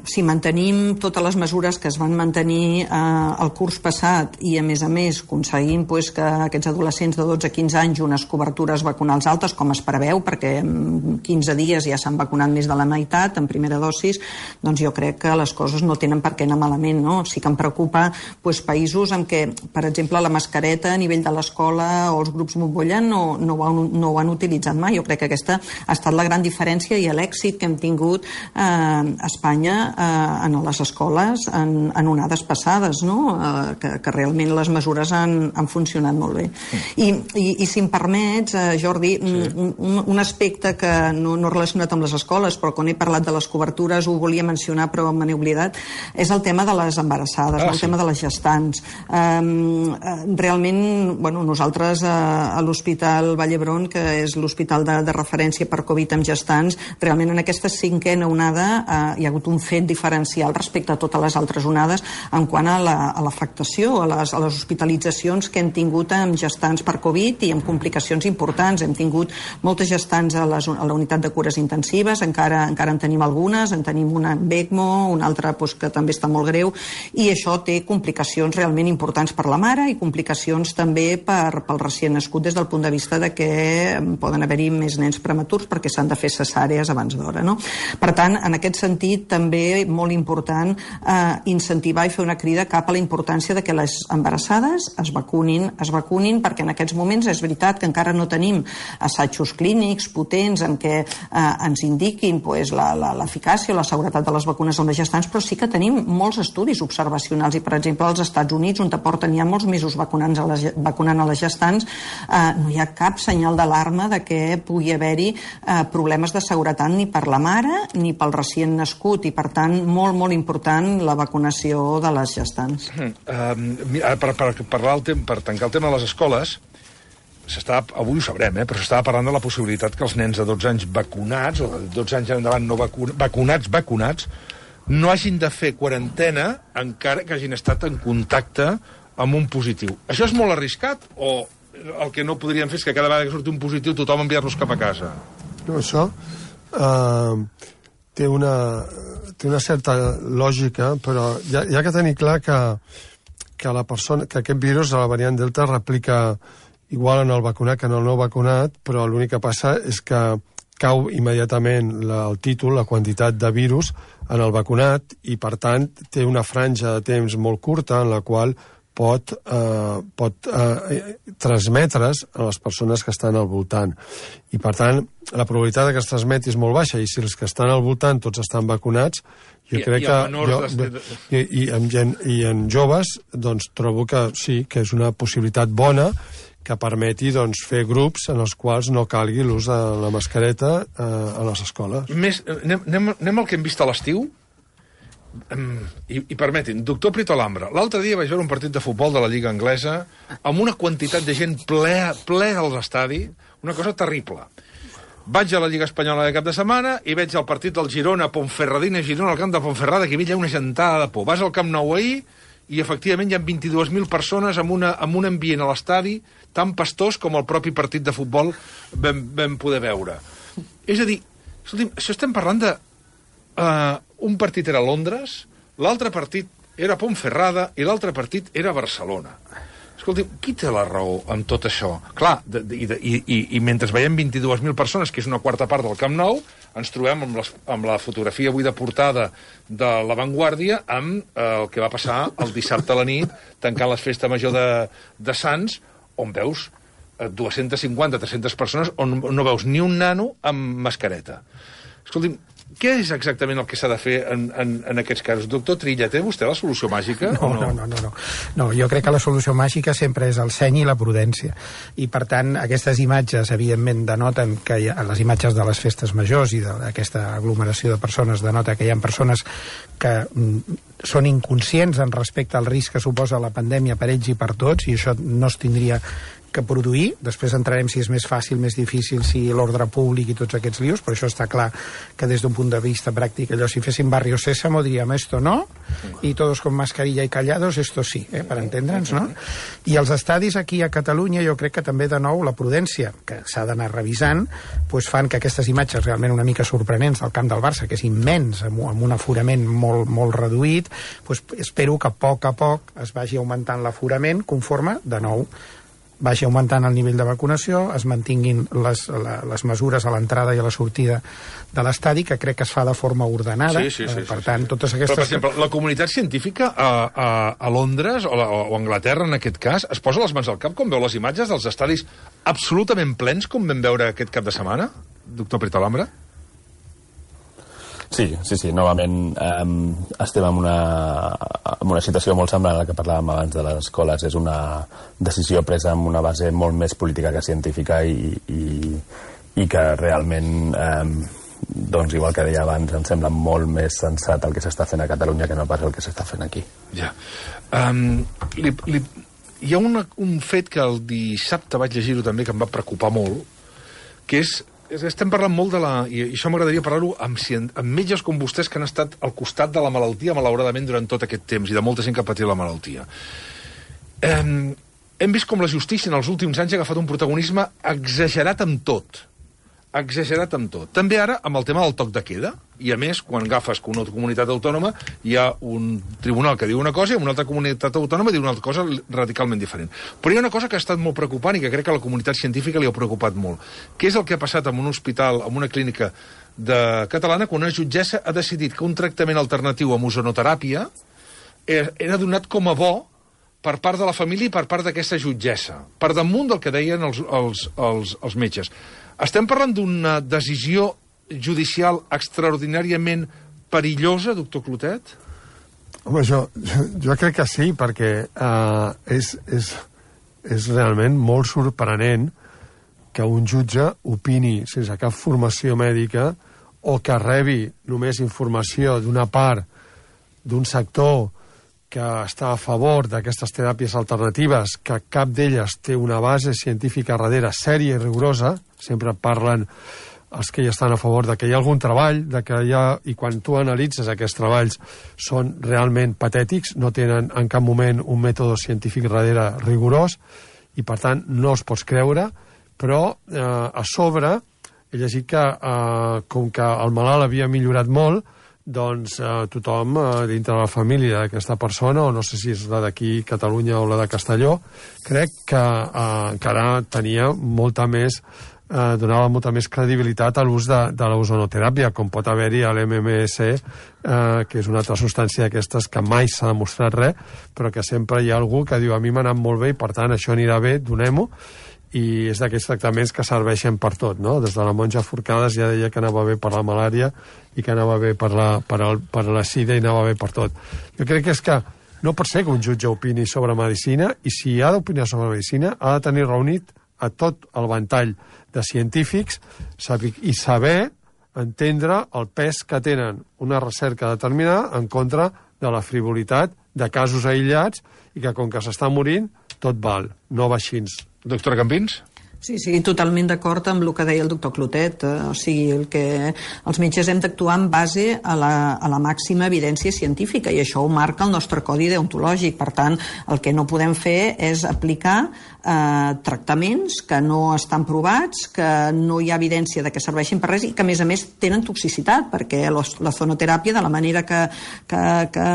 si mantenim totes les mesures que es van mantenir eh, el curs passat i, a més a més, aconseguim pues, que aquests adolescents de dotze a quinze anys unes cobertures vacunals altes, com es preveu, perquè en quinze dies ja s'han vacunat més de la meitat en primera dosis, doncs jo crec que les coses no tenen per què anar malament, no? Sí que em preocupa pues, països en què, per exemple, la mascareta a nivell de l'escola o els grups bombolla no, no, ho han, no ho han utilitzat mai. Jo crec que aquesta ha estat la gran diferència i l'èxit que hem tingut Eh, a Espanya eh, en les escoles en, en onades passades, no? eh, que, que realment les mesures han, han funcionat molt bé. I, i, i si em permets, eh, Jordi, sí. un, un, un aspecte que no, no relacionat amb les escoles, però quan he parlat de les cobertures ho volia mencionar però me n'he oblidat, és el tema de les embarassades, ah, el sí. tema de les gestants. Eh, realment, bueno, nosaltres eh, a l'Hospital Vall d'Hebron, que és l'hospital de, de referència per Covid amb gestants, realment en aquestes cinc cinquena onada eh, hi ha hagut un fet diferencial respecte a totes les altres onades en quant a l'afectació, a, a, les, a les hospitalitzacions que hem tingut amb gestants per Covid i amb complicacions importants. Hem tingut moltes gestants a, les, a la unitat de cures intensives, encara, encara en tenim algunes, en tenim una amb ECMO, una altra doncs, que també està molt greu, i això té complicacions realment importants per la mare i complicacions també per, pel recient nascut des del punt de vista de que poden haver-hi més nens prematurs perquè s'han de fer cesàrees abans d'hora, no? Per tant, en aquest sentit, també molt important eh, incentivar i fer una crida cap a la importància de que les embarassades es vacunin, es vacunin, perquè en aquests moments és veritat que encara no tenim assajos clínics potents en què eh, ens indiquin pues, l'eficàcia o la seguretat de les vacunes amb les gestants, però sí que tenim molts estudis observacionals i, per exemple, als Estats Units, on porten ja molts mesos vacunant a les, vacunant a les gestants, eh, no hi ha cap senyal d'alarma de que pugui haver-hi eh, problemes de seguretat ni per la mare ni pel recient nascut, i, per tant, molt, molt important la vacunació de les gestants. Uh, per, per, per, el per tancar el tema de les escoles, avui ho sabrem, eh, però s'estava parlant de la possibilitat que els nens de dotze anys vacunats, o de dotze anys endavant no vacun, vacunats, vacunats, no hagin de fer quarantena encara que hagin estat en contacte amb un positiu. Això és molt arriscat o el que no podríem fer és que cada vegada que surti un positiu tothom enviar-los cap a casa? No, això uh, té, una, té una certa lògica, però hi ha, hi ha que tenir clar que, que, la persona, que aquest virus, la variant Delta, replica igual en el vacunat que en el no vacunat, però l'únic que passa és que cau immediatament la, el títol, la quantitat de virus en el vacunat, i per tant té una franja de temps molt curta en la qual pot, eh, pot eh, transmetre's a les persones que estan al voltant. I per tant, la probabilitat que es transmeti és molt baixa, i si els que estan al voltant tots estan vacunats, jo I, crec i que... Jo, de... i, i, en, I en joves, doncs, trobo que sí, que és una possibilitat bona que permeti doncs, fer grups en els quals no calgui l'ús de la mascareta eh, a les escoles. Més, anem, anem, anem al que hem vist a l'estiu? Um, i, i permetin, doctor Prito Alhambra, l'altre dia vaig veure un partit de futbol de la Lliga Anglesa amb una quantitat de gent ple, ple als estadis, una cosa terrible. Vaig a la Lliga Espanyola de cap de setmana i veig el partit del Girona, Ponferradina, Girona, al camp de Ponferrada, que hi ha una gentada de por. Vas al Camp Nou ahir i efectivament hi ha vint-i-dues mil persones amb, una, amb un ambient a l'estadi tan pastós com el propi partit de futbol vam, vam poder veure. És a dir, escolti'm, això estem parlant de... Uh, un partit era a Londres, l'altre partit era a Ponferrada i l'altre partit era a Barcelona. Escolti'm, qui té la raó amb tot això? Clar, de, de, i, de, i, i mentre veiem vint-i-dues mil persones, que és una quarta part del Camp Nou, ens trobem amb, les, amb la fotografia avui de portada de La Vanguardia amb eh, el que va passar el dissabte a la nit, tancant les festes major de, de Sants, on veus eh, dues-centes cinquanta a tres-centes persones on no veus ni un nano amb mascareta. Escolti'm, què és exactament el que s'ha de fer en, en, en aquests casos? Doctor Trilla, té vostè la solució màgica? No, no, no, no, no. No, jo crec que la solució màgica sempre és el seny i la prudència. I, per tant, aquestes imatges, evidentment, denoten que hi ha, les imatges de les festes majors i d'aquesta aglomeració de persones denota que hi ha persones que mm, són inconscients en respecte al risc que suposa la pandèmia per ells i per tots, i això no es tindria que produir. Després entrarem si és més fàcil, més difícil, si l'ordre públic i tots aquests lios, però això està clar que des d'un punt de vista pràctic, allò, si féssim Barrio Sésamo diríem esto no, i todos con mascarilla y callados, esto sí, eh, per entendre'ns, no? I els estadis aquí a Catalunya, jo crec que també, de nou, la prudència, que s'ha d'anar revisant, pues fan que aquestes imatges realment una mica sorprenents del camp del Barça, que és immens, amb, amb un aforament molt, molt reduït, pues espero que a poc a poc es vagi augmentant l'aforament conforme, de nou, vagi augmentant el nivell de vacunació, es mantinguin les, la, les mesures a l'entrada i a la sortida de l'estadi, que crec que es fa de forma ordenada. Sí, sí, sí, per sí, tant, sí. totes aquestes... Però, per exemple, la comunitat científica a, a, a Londres, o, la, o Anglaterra, en aquest cas, es posa les mans al cap quan veu les imatges dels estadis absolutament plens, com vam veure aquest cap de setmana, doctor Prito Alhambra? Sí, sí, sí, novament eh, estem en una, en una situació molt semblant a la que parlàvem abans de les escoles. És una decisió presa amb una base molt més política que científica i, i, i que realment, eh, doncs igual que deia abans, em sembla molt més sensat el que s'està fent a Catalunya que no pas el que s'està fent aquí. Ja. Um, li, li, hi ha una, un fet que el dissabte vaig llegir-ho també que em va preocupar molt, que és estem parlant molt de la... I això m'agradaria parlar-ho amb, amb metges com vostès que han estat al costat de la malaltia, malauradament, durant tot aquest temps, i de molta gent que ha patit la malaltia. Eh, hem vist com la justícia en els últims anys ha agafat un protagonisme exagerat amb tot. Exagerat amb tot. També ara amb el tema del toc de queda, i a més, quan agafes que una comunitat autònoma hi ha un tribunal que diu una cosa i una altra comunitat autònoma diu una altra cosa radicalment diferent. Però hi ha una cosa que ha estat molt preocupant i que crec que a la comunitat científica li ha preocupat molt, que és el que ha passat en un hospital, en una clínica de catalana, quan una jutgessa ha decidit que un tractament alternatiu amb ozonoteràpia era donat com a bo per part de la família i per part d'aquesta jutgessa, per damunt del que deien els, els, els, els metges. Estem parlant d'una decisió judicial extraordinàriament perillosa, doctor Clotet? Home, jo, jo, jo crec que sí, perquè uh, és, és, és realment molt sorprenent que un jutge opini sense cap formació mèdica o que rebi només informació d'una part d'un sector que està a favor d'aquestes teràpies alternatives, que cap d'elles té una base científica darrere sèria i rigorosa. Sempre parlen els que hi estan a favor de que hi ha algun treball, de que hi ha, i quan tu analitzes aquests treballs són realment patètics, no tenen en cap moment un mètode científic darrere rigorós, i per tant no els pots creure, però eh, a sobre he llegit que eh, com que el malalt havia millorat molt, doncs eh, tothom eh, dintre de la família d'aquesta persona, o no sé si és la d'aquí Catalunya o la de Castelló, crec que eh, encara tenia molta més, eh, donava molta més credibilitat a l'ús de, de l'ozonoteràpia, com pot haver-hi a l'M M S, eh, que és una altra substància d'aquestes que mai s'ha demostrat res, però que sempre hi ha algú que diu a mi m'ha anat molt bé i per tant això anirà bé, donem-ho, i és d'aquests tractaments que serveixen per tot, no? Des de la monja Forcades ja deia que anava bé per la malària i que anava bé per la, per el, per la sida i anava bé per tot. Jo crec que és que no pot ser que un jutge opini sobre medicina, i si ha d'opinar sobre medicina ha de tenir reunit a tot el ventall de científics i saber entendre el pes que tenen una recerca determinada en contra de la frivolitat de casos aïllats i que com que s'està morint tot val, no va així. Doctora Campins? Sí, sí, totalment d'acord amb el que deia el doctor Clotet. Eh, o sigui, el que els metges hem d'actuar en base a la, a la màxima evidència científica, i això ho marca el nostre codi deontològic. Per tant, el que no podem fer és aplicar eh, tractaments que no estan provats, que no hi ha evidència de que serveixin per res i que, a més a més, tenen toxicitat, perquè la zonoteràpia, de la manera que, que, que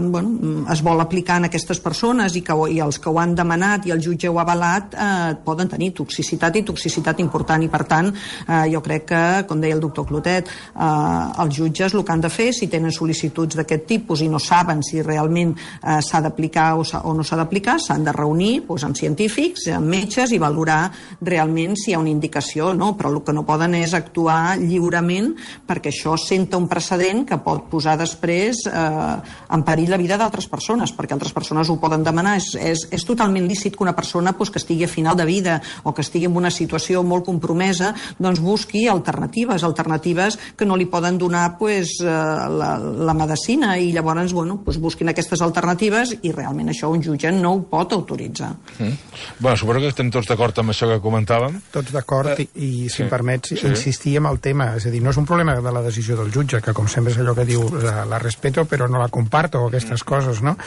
bueno, es vol aplicar en aquestes persones i, que, i els que ho han demanat i el jutge ho ha avalat, eh, poden tenir toxicitat i toxicitat important, i per tant eh, jo crec que, com deia el doctor Clotet, eh, els jutges el que han de fer, si tenen sol·licituds d'aquest tipus i no saben si realment eh, s'ha d'aplicar o, o no s'ha d'aplicar, s'han de reunir doncs, amb científics, amb metges, i valorar realment si hi ha una indicació o no, però el que no poden és actuar lliurement, perquè això senta un precedent que pot posar després eh, en perill la vida d'altres persones, perquè altres persones ho poden demanar. És, és, és totalment lícit que una persona doncs, que estigui a final de vida o que estigui en una situació molt compromesa, doncs busqui alternatives, alternatives que no li poden donar pues, la, la medicina, i llavors bueno, pues busquin aquestes alternatives, i realment això un jutge no ho pot autoritzar. Mm. Bueno, suposo que estem tots d'acord amb això que comentàvem. Tots d'acord, eh, i, i si sí, em permets sí. insistir en el tema, és a dir, no és un problema de la decisió del jutge, que com sempre és allò que diu la, la respeto però no la comparto, aquestes mm. coses, no?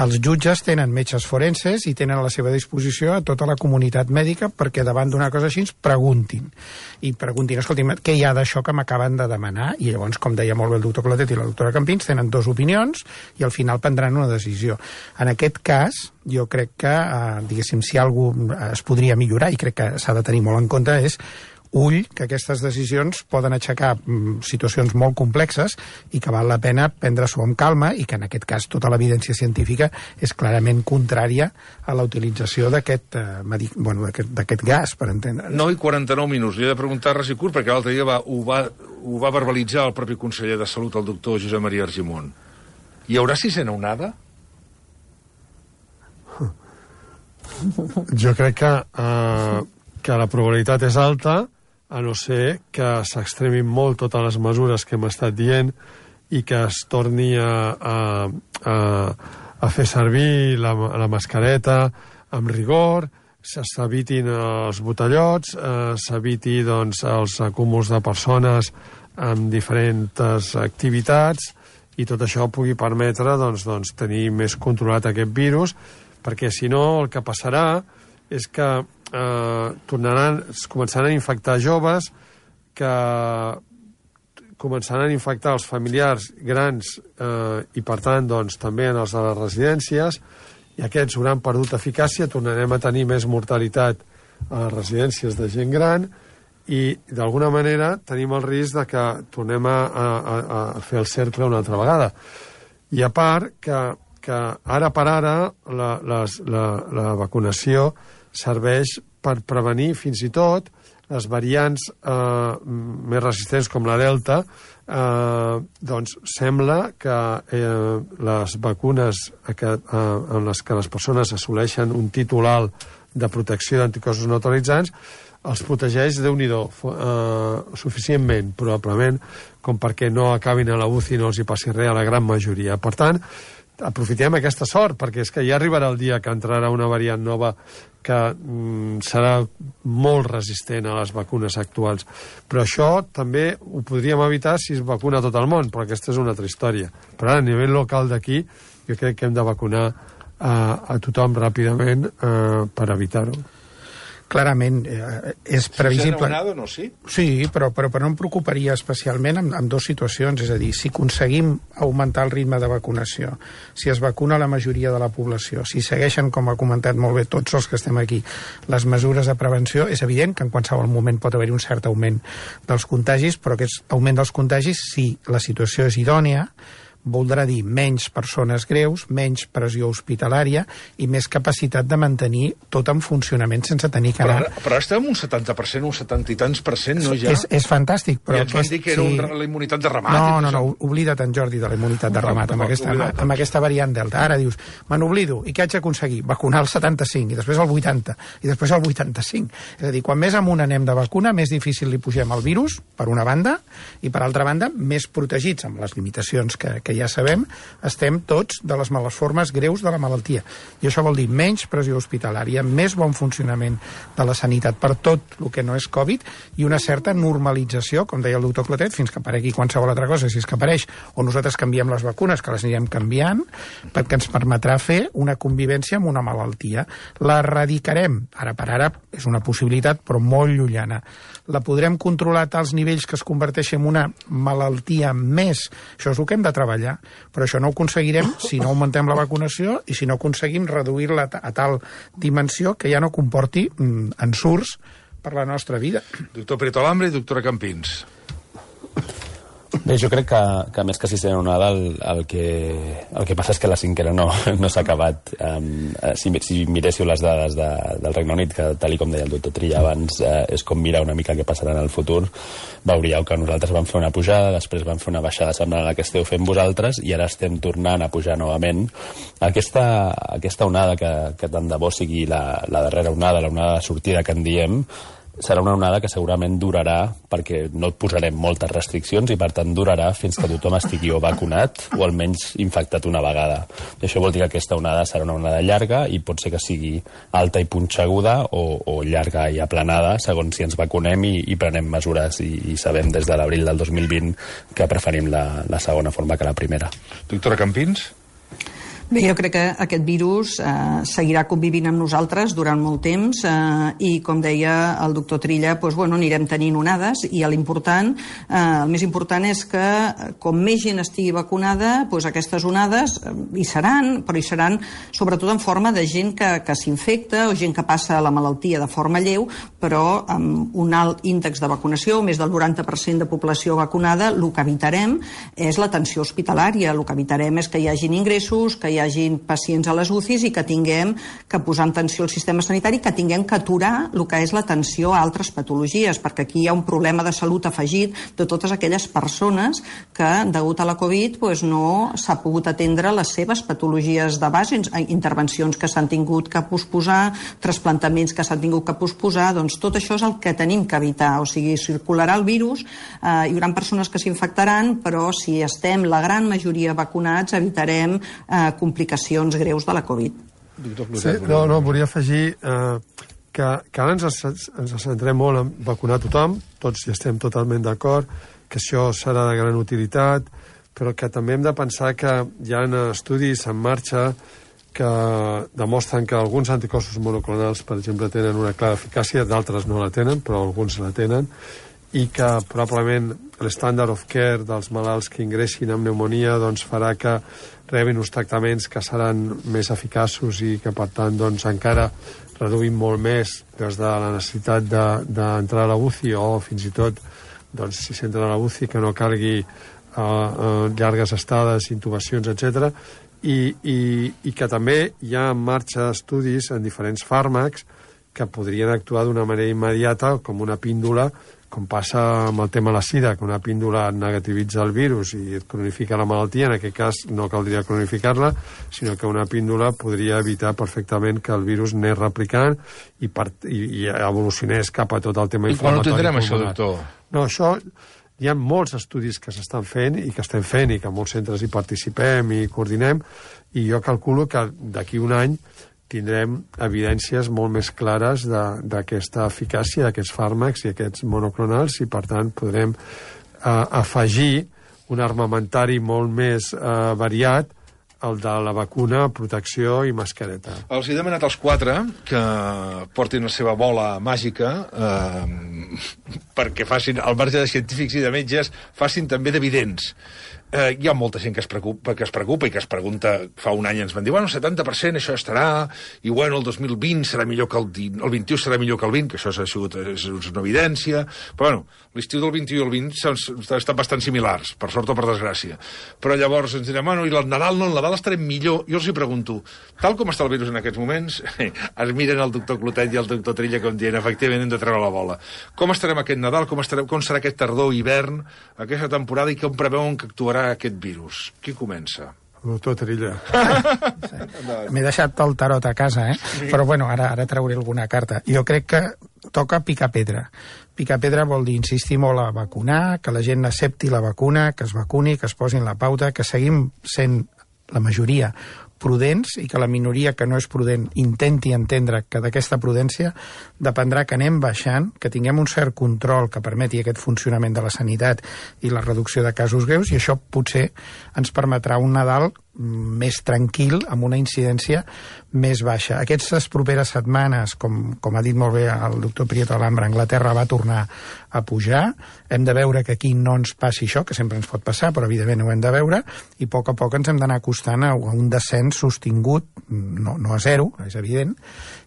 Els jutges tenen metges forenses i tenen a la seva disposició a tota la comunitat mèdica perquè davant d'una cosa així preguntin. I preguntin, escolti'm, què hi ha d'això que m'acaben de demanar? I llavors, com deia molt bé el doctor Clotet i la doctora Campins, tenen dues opinions i al final prendran una decisió. En aquest cas, jo crec que, eh, diguéssim, si algú es podria millorar, i crec que s'ha de tenir molt en compte, és ull, que aquestes decisions poden aixecar mm, situacions molt complexes i que val la pena prendre-s'ho amb calma, i que en aquest cas tota l'evidència científica és clarament contrària a la utilització d'aquest eh, medic... bueno, d'aquest gas, per entendre. nou i quaranta-nou minuts. Li he de preguntar res i curt, perquè l'altre dia va, ho, va, ho va verbalitzar el propi conseller de Salut, el doctor Josep Maria Argimon. Hi haurà sisena onada? Jo crec que, uh, que la probabilitat és alta, a no ser que s'extremin molt totes les mesures que hem estat dient i que es torni a, a, a, a fer servir la, la mascareta amb rigor, s'evitin els botellots, eh, s'eviti doncs, els acúmuls de persones amb diferents activitats, i tot això pugui permetre doncs, doncs, tenir més controlat aquest virus, perquè si no el que passarà és que eh, tornaran, es començaran a infectar joves, que començaran a infectar els familiars grans eh, i per tant doncs, també en els de les residències, i aquests hauran perdut eficàcia, tornarem a tenir més mortalitat a les residències de gent gran, i d'alguna manera tenim el risc de que tornem a, a, a fer el cercle una altra vegada. I a part que, que ara per ara la, les, la, la vacunació serveix per prevenir fins i tot les variants eh, més resistents com la Delta, eh, doncs sembla que eh, les vacunes que, eh, en les que les persones assoleixen un títol alt de protecció d'anticossos neutralitzants els protegeix, Déu-n'hi-do, eh, suficientment, probablement, com perquè no acabin a la U C I i no els hi passi res a la gran majoria. Per tant, aprofitem aquesta sort, perquè és que ja arribarà el dia que entrarà una variant nova que mm, serà molt resistent a les vacunes actuals. Però això també ho podríem evitar si es vacuna tot el món, però aquesta és una altra història. Però ara, a nivell local d'aquí, jo crec que hem de vacunar eh, a tothom ràpidament eh, per evitar-ho. Clarament, eh, és previsible... Si s'ha anomenat o no, sí? Sí, però, però, però no em preocuparia especialment en, en dues situacions, és a dir, si aconseguim augmentar el ritme de vacunació, si es vacuna la majoria de la població, si segueixen, com ha comentat molt bé tots els que estem aquí, les mesures de prevenció, és evident que en qualsevol moment pot haver-hi un cert augment dels contagis, però aquest augment dels contagis, si la situació és idònia, voldrà dir menys persones greus, menys pressió hospitalària i més capacitat de mantenir tot en funcionament sense tenir que anar... Però, però estem un setanta per cent, un setanta i tants per cent, no ja? És, és fantàstic, però... I ens van dir que era sí. un, la immunitat de ramat. No, no, no, oblida't, en Jordi, de la immunitat de ramat, amb aquesta, amb, amb aquesta variant Delta. Ara dius, me n'oblido, i què haig d'aconseguir? Vacunar el setanta-cinc, i després el vuitanta, i després el vuitanta-cinc. És a dir, quan més amunt anem de vacuna, més difícil li pugem el virus, per una banda, i per altra banda, més protegits, amb les limitacions que, que ja sabem, estem tots de les males formes greus de la malaltia. I això vol dir menys pressió hospitalària, més bon funcionament de la sanitat per tot el que no és Covid i una certa normalització, com deia el doctor Clotet, fins que aparegui qualsevol altra cosa, si és que apareix, o nosaltres canviem les vacunes, que les anirem canviant, perquè ens permetrà fer una convivència amb una malaltia. La erradicarem, ara per ara és una possibilitat, però molt llunyana. La podrem controlar a tals nivells que es converteixi en una malaltia més. Això és el que hem de treballar, però això no ho aconseguirem si no augmentem la vacunació i si no aconseguim reduir-la a tal dimensió que ja no comporti mm, ensurts per la nostra vida. Doctor Prieto Alambre i doctora Campins. Bé, jo crec que, que més que sisena onada el, el, que, el que passa és que la cinquena no, no s'ha acabat. Um, si, si miréssiu les dades de, del Regne Unit, que tal com deia el doctor Trilla abans, uh, és com mirar una mica què passarà en el futur, veuríeu que nosaltres vam fer una pujada, després vam fer una baixada semblant a la que esteu fent vosaltres i ara estem tornant a pujar novament. Aquesta, aquesta onada que, que tant de bo sigui la, la darrera onada, la onada de sortida que en diem, serà una onada que segurament durarà perquè no et posarem moltes restriccions i per tant durarà fins que tothom estigui o vacunat o almenys infectat una vegada. I això vol dir que aquesta onada serà una onada llarga i pot ser que sigui alta i punxeguda o, o llarga i aplanada segons si ens vacunem i, i prenem mesures i, i sabem des de l'abril del dos mil vint que preferim la, la segona forma que la primera. Doctora Campins? Bé, jo crec que aquest virus eh, seguirà convivint amb nosaltres durant molt temps eh, i, com deia el doctor Trilla, doncs, bueno, anirem tenint onades i l'important, eh, el més important és que com més gent estigui vacunada, doncs aquestes onades eh, hi seran, però hi seran sobretot en forma de gent que, que s'infecta o gent que passa la malaltia de forma lleu, però amb un alt índex de vacunació, més del noranta per cent de població vacunada, el que evitarem és l'atenció hospitalària, el que evitarem és que hi hagin ingressos, que hi hi hagin pacients a les U C Is i que tinguem que posar en tensió el sistema sanitari, que tinguem que aturar el que és l'atenció a altres patologies, perquè aquí hi ha un problema de salut afegit de totes aquelles persones que, degut a la Covid, doncs no s'ha pogut atendre les seves patologies de base, intervencions que s'han tingut que posposar, trasplantaments que s'han tingut que posposar, doncs tot això és el que tenim que evitar, o sigui, circularà el virus, eh, hi haurà persones que s'infectaran, però si estem la gran majoria vacunats, evitarem eh, complicacions greus de la Covid. Sí, no, no, volia afegir eh, que, que ara ens, ens centrem molt en vacunar tothom, tots hi estem totalment d'acord, que això serà de gran utilitat, però que també hem de pensar que hi ha estudis en marxa que demostren que alguns anticossos monoclonals, per exemple, tenen una clara eficàcia, d'altres no la tenen, però alguns la tenen, i que probablement l'estàndard of care dels malalts que ingressin amb pneumonia doncs, farà que rebin uns tractaments que seran més eficaços i que, per tant, doncs, encara reduïm molt més des de la necessitat d'entrar de, a la U C I o fins i tot, doncs, si s'entra a la U C I, que no calgui uh, uh, llargues estades, intubacions, etcètera. I, i, i que també hi ha en marxa estudis en diferents fàrmacs que podrien actuar d'una manera immediata com una píndola, com passa amb el tema de la sida, que una píndola negativitza el virus i et cronifica la malaltia. En aquest cas no caldria cronificar-la, sinó que una píndola podria evitar perfectament que el virus anés replicant i, part, i, i evolucionés cap a tot el tema inflamatori. I quan ho tindrem, això, doctor? No, això... Hi ha molts estudis que s'estan fent i que estem fent i que molts centres hi participem i coordinem, i jo calculo que d'aquí un any tindrem evidències molt més clares d'aquesta eficàcia d'aquests fàrmacs i aquests monoclonals, i per tant podrem eh, afegir un armamentari molt més eh, variat, el de la vacuna, protecció i mascareta. Els he demanat als quatre que portin la seva bola màgica eh, perquè facin, al marge de científics i de metges, facin també d'evidents. Eh, hi ha molta gent que es, preocupa, que es preocupa i que es pregunta, fa un any ens van dir, bueno, el setanta per cent això estarà, i bueno, el dos mil vint serà millor que el, el vint-i-u serà millor que el vint, que això ha sigut és una evidència, però bueno, l'estiu del vint-i-u i el vint estan bastant similars, per sort o per desgràcia. Però llavors ens direm, bueno, i el Nadal no, el Nadal estarem millor. Jo els hi pregunto, tal com està el virus en aquests moments, es miren el doctor Clotet i el doctor Trilla com dient, efectivament hem de treure la bola. Com estarem aquest Nadal, com, estarem, com serà aquest tardor, hivern, aquesta temporada, i com preveuen que actuarà aquest virus? Qui comença? El doctor Trilla. M'he deixat el tarot a casa, eh? Sí. Però bueno, ara, ara trauré alguna carta. Jo crec que toca picar pedra. Picar pedra vol dir insistir molt a vacunar, que la gent accepti la vacuna, que es vacuni, que es posin la pauta, que seguim sent la majoria prudents i que la minoria que no és prudent intenti entendre que d'aquesta prudència dependrà que anem baixant, que tinguem un cert control que permeti aquest funcionament de la sanitat i la reducció de casos greus, i això potser ens permetrà un Nadal més tranquil, amb una incidència més baixa. Aquestes properes setmanes, com, com ha dit molt bé el doctor Prieto Alhambra, Anglaterra va tornar a pujar. Hem de veure que aquí no ens passi això, que sempre ens pot passar, però evidentment ho hem de veure, i a poc a poc ens hem d'anar acostant a un descens sostingut, no, no a zero, és evident,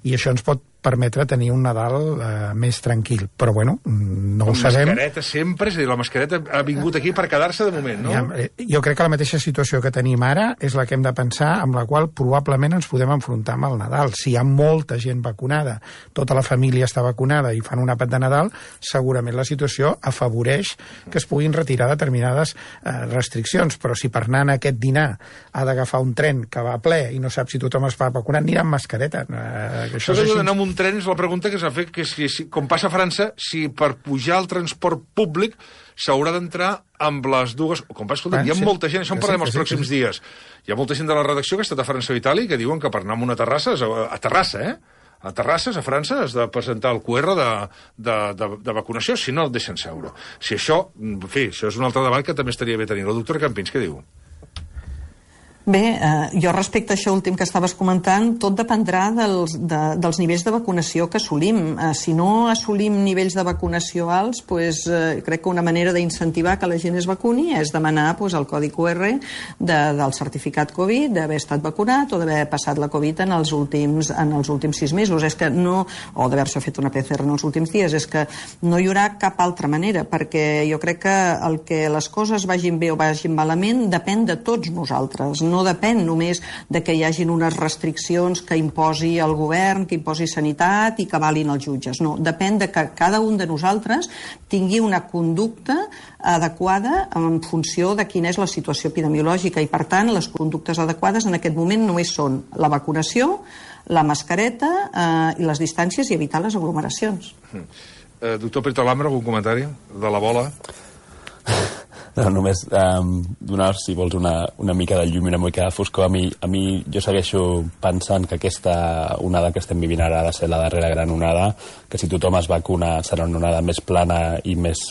i això ens pot permetre tenir un Nadal eh, més tranquil. Però, bueno, no ho sabem. La mascareta sempre, és a dir, la mascareta ha vingut aquí per quedar-se de moment, no? Ja, jo crec que la mateixa situació que tenim ara és la que hem de pensar, amb la qual probablement ens podem enfrontar amb el Nadal. Si hi ha molta gent vacunada, tota la família està vacunada i fan un àpat de Nadal, segurament la situació afavoreix que es puguin retirar determinades eh, restriccions. Però si per anar a aquest dinar ha d'agafar un tren que va ple i no sap si tothom es va vacunar, anirà amb mascareta. Eh, això és així. Un tren és la pregunta que s'ha fet, que si, si, com passa a França, si per pujar al transport públic s'haurà d'entrar amb les dues... Com va, escolta, ah, hi ha sí. molta gent, això en parlem sí, els sí, pròxims sí. dies. Hi ha molta gent de la redacció que ha estat a França o Itàlia que diuen que per anar a una terrassa, a Terrassa, eh? A Terrasses, a França, has de presentar el Q R de, de, de, de vacunació, si no el deixen seure. Si això, en fi, això és un altre debat que també estaria bé tenir. La doctora Campins, què diu? Bé, eh, jo respecte a això últim que estaves comentant, tot dependrà dels, de, dels nivells de vacunació que assolim. Eh, si no assolim nivells de vacunació alts, pues, eh, crec que una manera d'incentivar que la gent es vacuni és demanar pues, el codi Q R de, del certificat Covid, d'haver estat vacunat o d'haver passat la Covid en els últims, en els últims sis mesos. És que no, o d'haver-se fet una P C R en els últims dies. És que no hi haurà cap altra manera, perquè jo crec que el que les coses vagin bé o vagin malament depèn de tots nosaltres. No depèn només de que hi hagin unes restriccions que imposi el govern, que imposi sanitat i que valin els jutges. No, depèn de que cada un de nosaltres tingui una conducta adequada en funció de quina és la situació epidemiològica, i per tant les conductes adequades en aquest moment només són la vacunació, la mascareta eh, i les distàncies i evitar les aglomeracions. Mm. Eh, doctor Prieto Alhambra, algun comentari de la bola? No, només um, donar, si vols, una, una mica de llum i una mica de foscor. A mi, a mi jo segueixo pensant que aquesta onada que estem vivint ara ha de ser la darrera gran onada, que si tothom es vacuna serà una onada més plana i més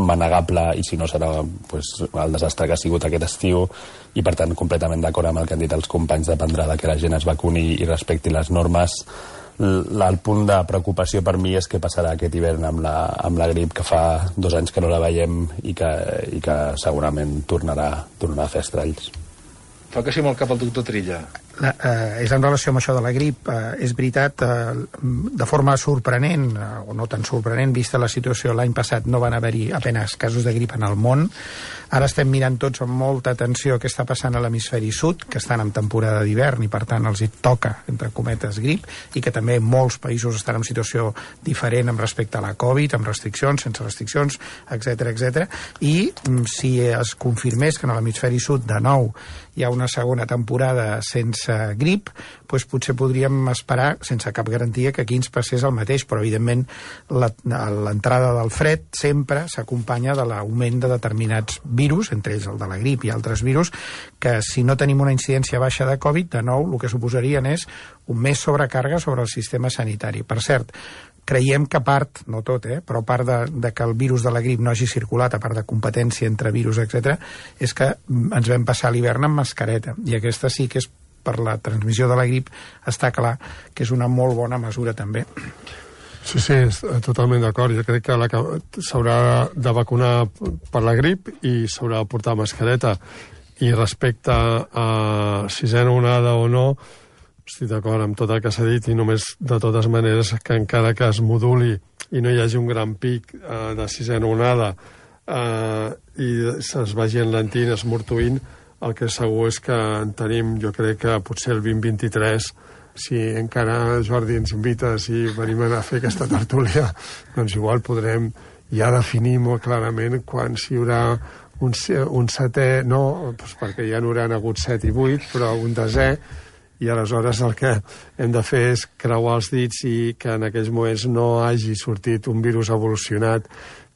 manegable, i si no serà pues, el desastre que ha sigut aquest estiu, i per tant completament d'acord amb el que han dit els companys, dependrà de que la gent es vacuni i respecti les normes. El punt de preocupació per mi és què passarà aquest hivern amb la, amb la grip, que fa dos anys que no la veiem i que, i que segurament tornarà, tornarà a fer estralls. Fa que sí amb el cap el doctor Trilla. La, eh, és en relació amb això de la grip. Eh, és veritat, eh, de forma sorprenent, eh, o no tan sorprenent, vista la situació l'any passat, no van haver-hi apenas casos de grip en el món. Ara estem mirant tots amb molta atenció què està passant a l'hemisferi sud, que estan en temporada d'hivern i per tant els hi toca, entre cometes, grip, i que també molts països estan en situació diferent amb respecte a la Covid, amb restriccions, sense restriccions, etcètera, etcètera. I si es confirmés que en l'hemisferi sud de nou hi ha una segona temporada sense grip, doncs potser podríem esperar, sense cap garantia, que aquí ens passés el mateix, però evidentment l'entrada del fred sempre s'acompanya de l'augment de determinats virus, entre ells el de la grip i altres virus, que si no tenim una incidència baixa de Covid, de nou el que suposarien és un més sobrecàrrega sobre el sistema sanitari. Per cert, creiem que part, no tot, eh, però part de, de que el virus de la grip no hagi circulat, a part de competència entre virus, etcètera, és que ens vam passar l'hivern amb mascareta, i aquesta sí que és per la transmissió de la grip, està clar que és una molt bona mesura també. Sí, sí, totalment d'acord. Jo crec que s'haurà de vacunar per la grip i s'haurà de portar mascareta. I respecte a sisena onada o no, estic d'acord amb tot el que s'ha dit, i només de totes maneres que encara que es moduli i no hi hagi un gran pic eh, de sisena onada eh, i es vagi enlentint, esmortuint, el que segur és que en tenim, jo crec que potser el vint vint-i-tres, si encara, Jordi, ens invites i venim a fer aquesta tertúlia, doncs igual podrem ja definir molt clarament quan si hi haurà un, un setè, no, doncs perquè ja n'hauran hagut set i vuit, però un desè, i aleshores el que hem de fer és creuar els dits i que en aquells moments no hagi sortit un virus evolucionat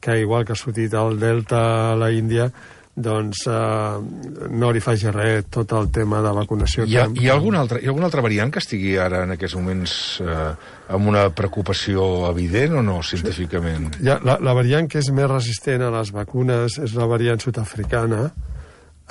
que, igual que ha sortit el Delta a la Índia, doncs eh, no li faci res tot el tema de vacunació. Hi ha, hi ha, alguna, altra, hi ha alguna altra variant que estigui ara en aquests moments eh, amb una preocupació evident o no, científicament? Sí. La, la variant que és més resistent a les vacunes és la variant sud-africana,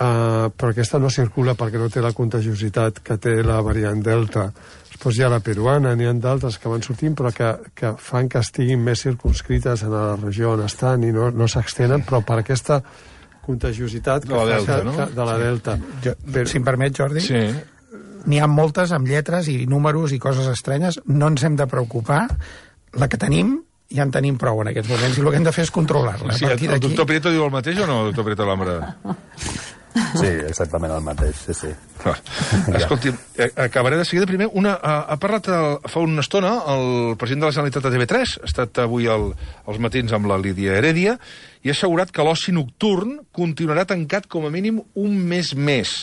Uh, però aquesta no circula perquè no té la contagiositat que té la variant Delta. Després hi ha la peruana, n'hi ha d'altres que van sortint, però que, que fan que estiguin més circunscrites en la regió on estan i no, no s'extenen, però per aquesta contagiositat de la Delta, que, no? que, de la Delta. Jo, però, si em permet, Jordi, sí. N'hi ha moltes amb lletres i números i coses estranyes. No ens hem de preocupar. La que tenim ja en tenim prou en aquests moments i el que hem de fer és controlar-la. Sí, el doctor Prieto diu el mateix o no, doctor Prieto Lambra? Sí, exactament el mateix, sí, sí. Ah, escolti, acabaré de seguida. Primer, una, ha, ha parlat el, fa una estona el president de la Generalitat de T V tres, ha estat avui el, als matins amb la Lídia Heredia, i ha assegurat que l'oci nocturn continuarà tancat com a mínim un mes més.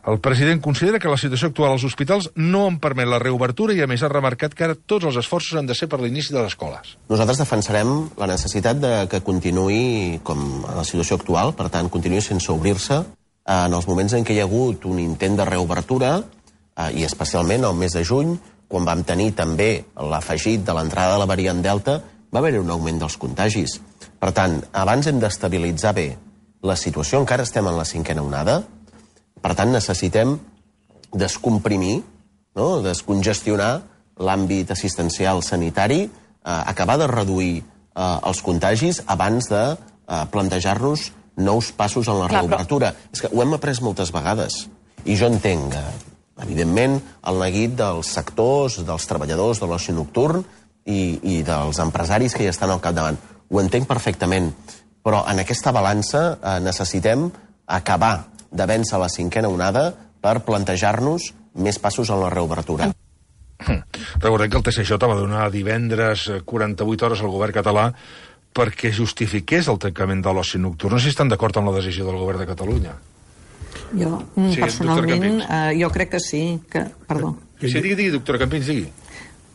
El president considera que la situació actual als hospitals no en permet la reobertura i, a més, ha remarcat que ara tots els esforços han de ser per l'inici de les escoles. Nosaltres defensarem la necessitat de que continuï com a la situació actual, per tant, continuï sense obrir-se en els moments en què hi ha hagut un intent de reobertura, i especialment el mes de juny, quan vam tenir també l'afegit de l'entrada de la variant Delta, va haver-hi un augment dels contagis. Per tant, abans hem d'estabilitzar bé la situació, encara estem en la cinquena onada. Per tant, necessitem descomprimir, no? Descongestionar l'àmbit assistencial sanitari, eh, acabar de reduir eh, els contagis abans de eh, plantejar-nos nous passos en la Clar, reobertura. Però... És que ho hem après moltes vegades. I jo entenc, eh, evidentment, el neguit dels sectors, dels treballadors de l'oci nocturn i, i dels empresaris que hi estan al capdavant. Ho entenc perfectament. Però en aquesta balança eh, necessitem acabar de vèncer la cinquena onada per plantejar-nos més passos en la reobertura. Recordem que el T C J va donar divendres quaranta-vuit hores al govern català perquè justifiqués el tancament de l'oci nocturn. No sé si estan d'acord amb la decisió del govern de Catalunya. Jo, sí, personalment, eh, jo crec que sí. Que... Perdó. Sí, digui, digui, doctora Campins, digui.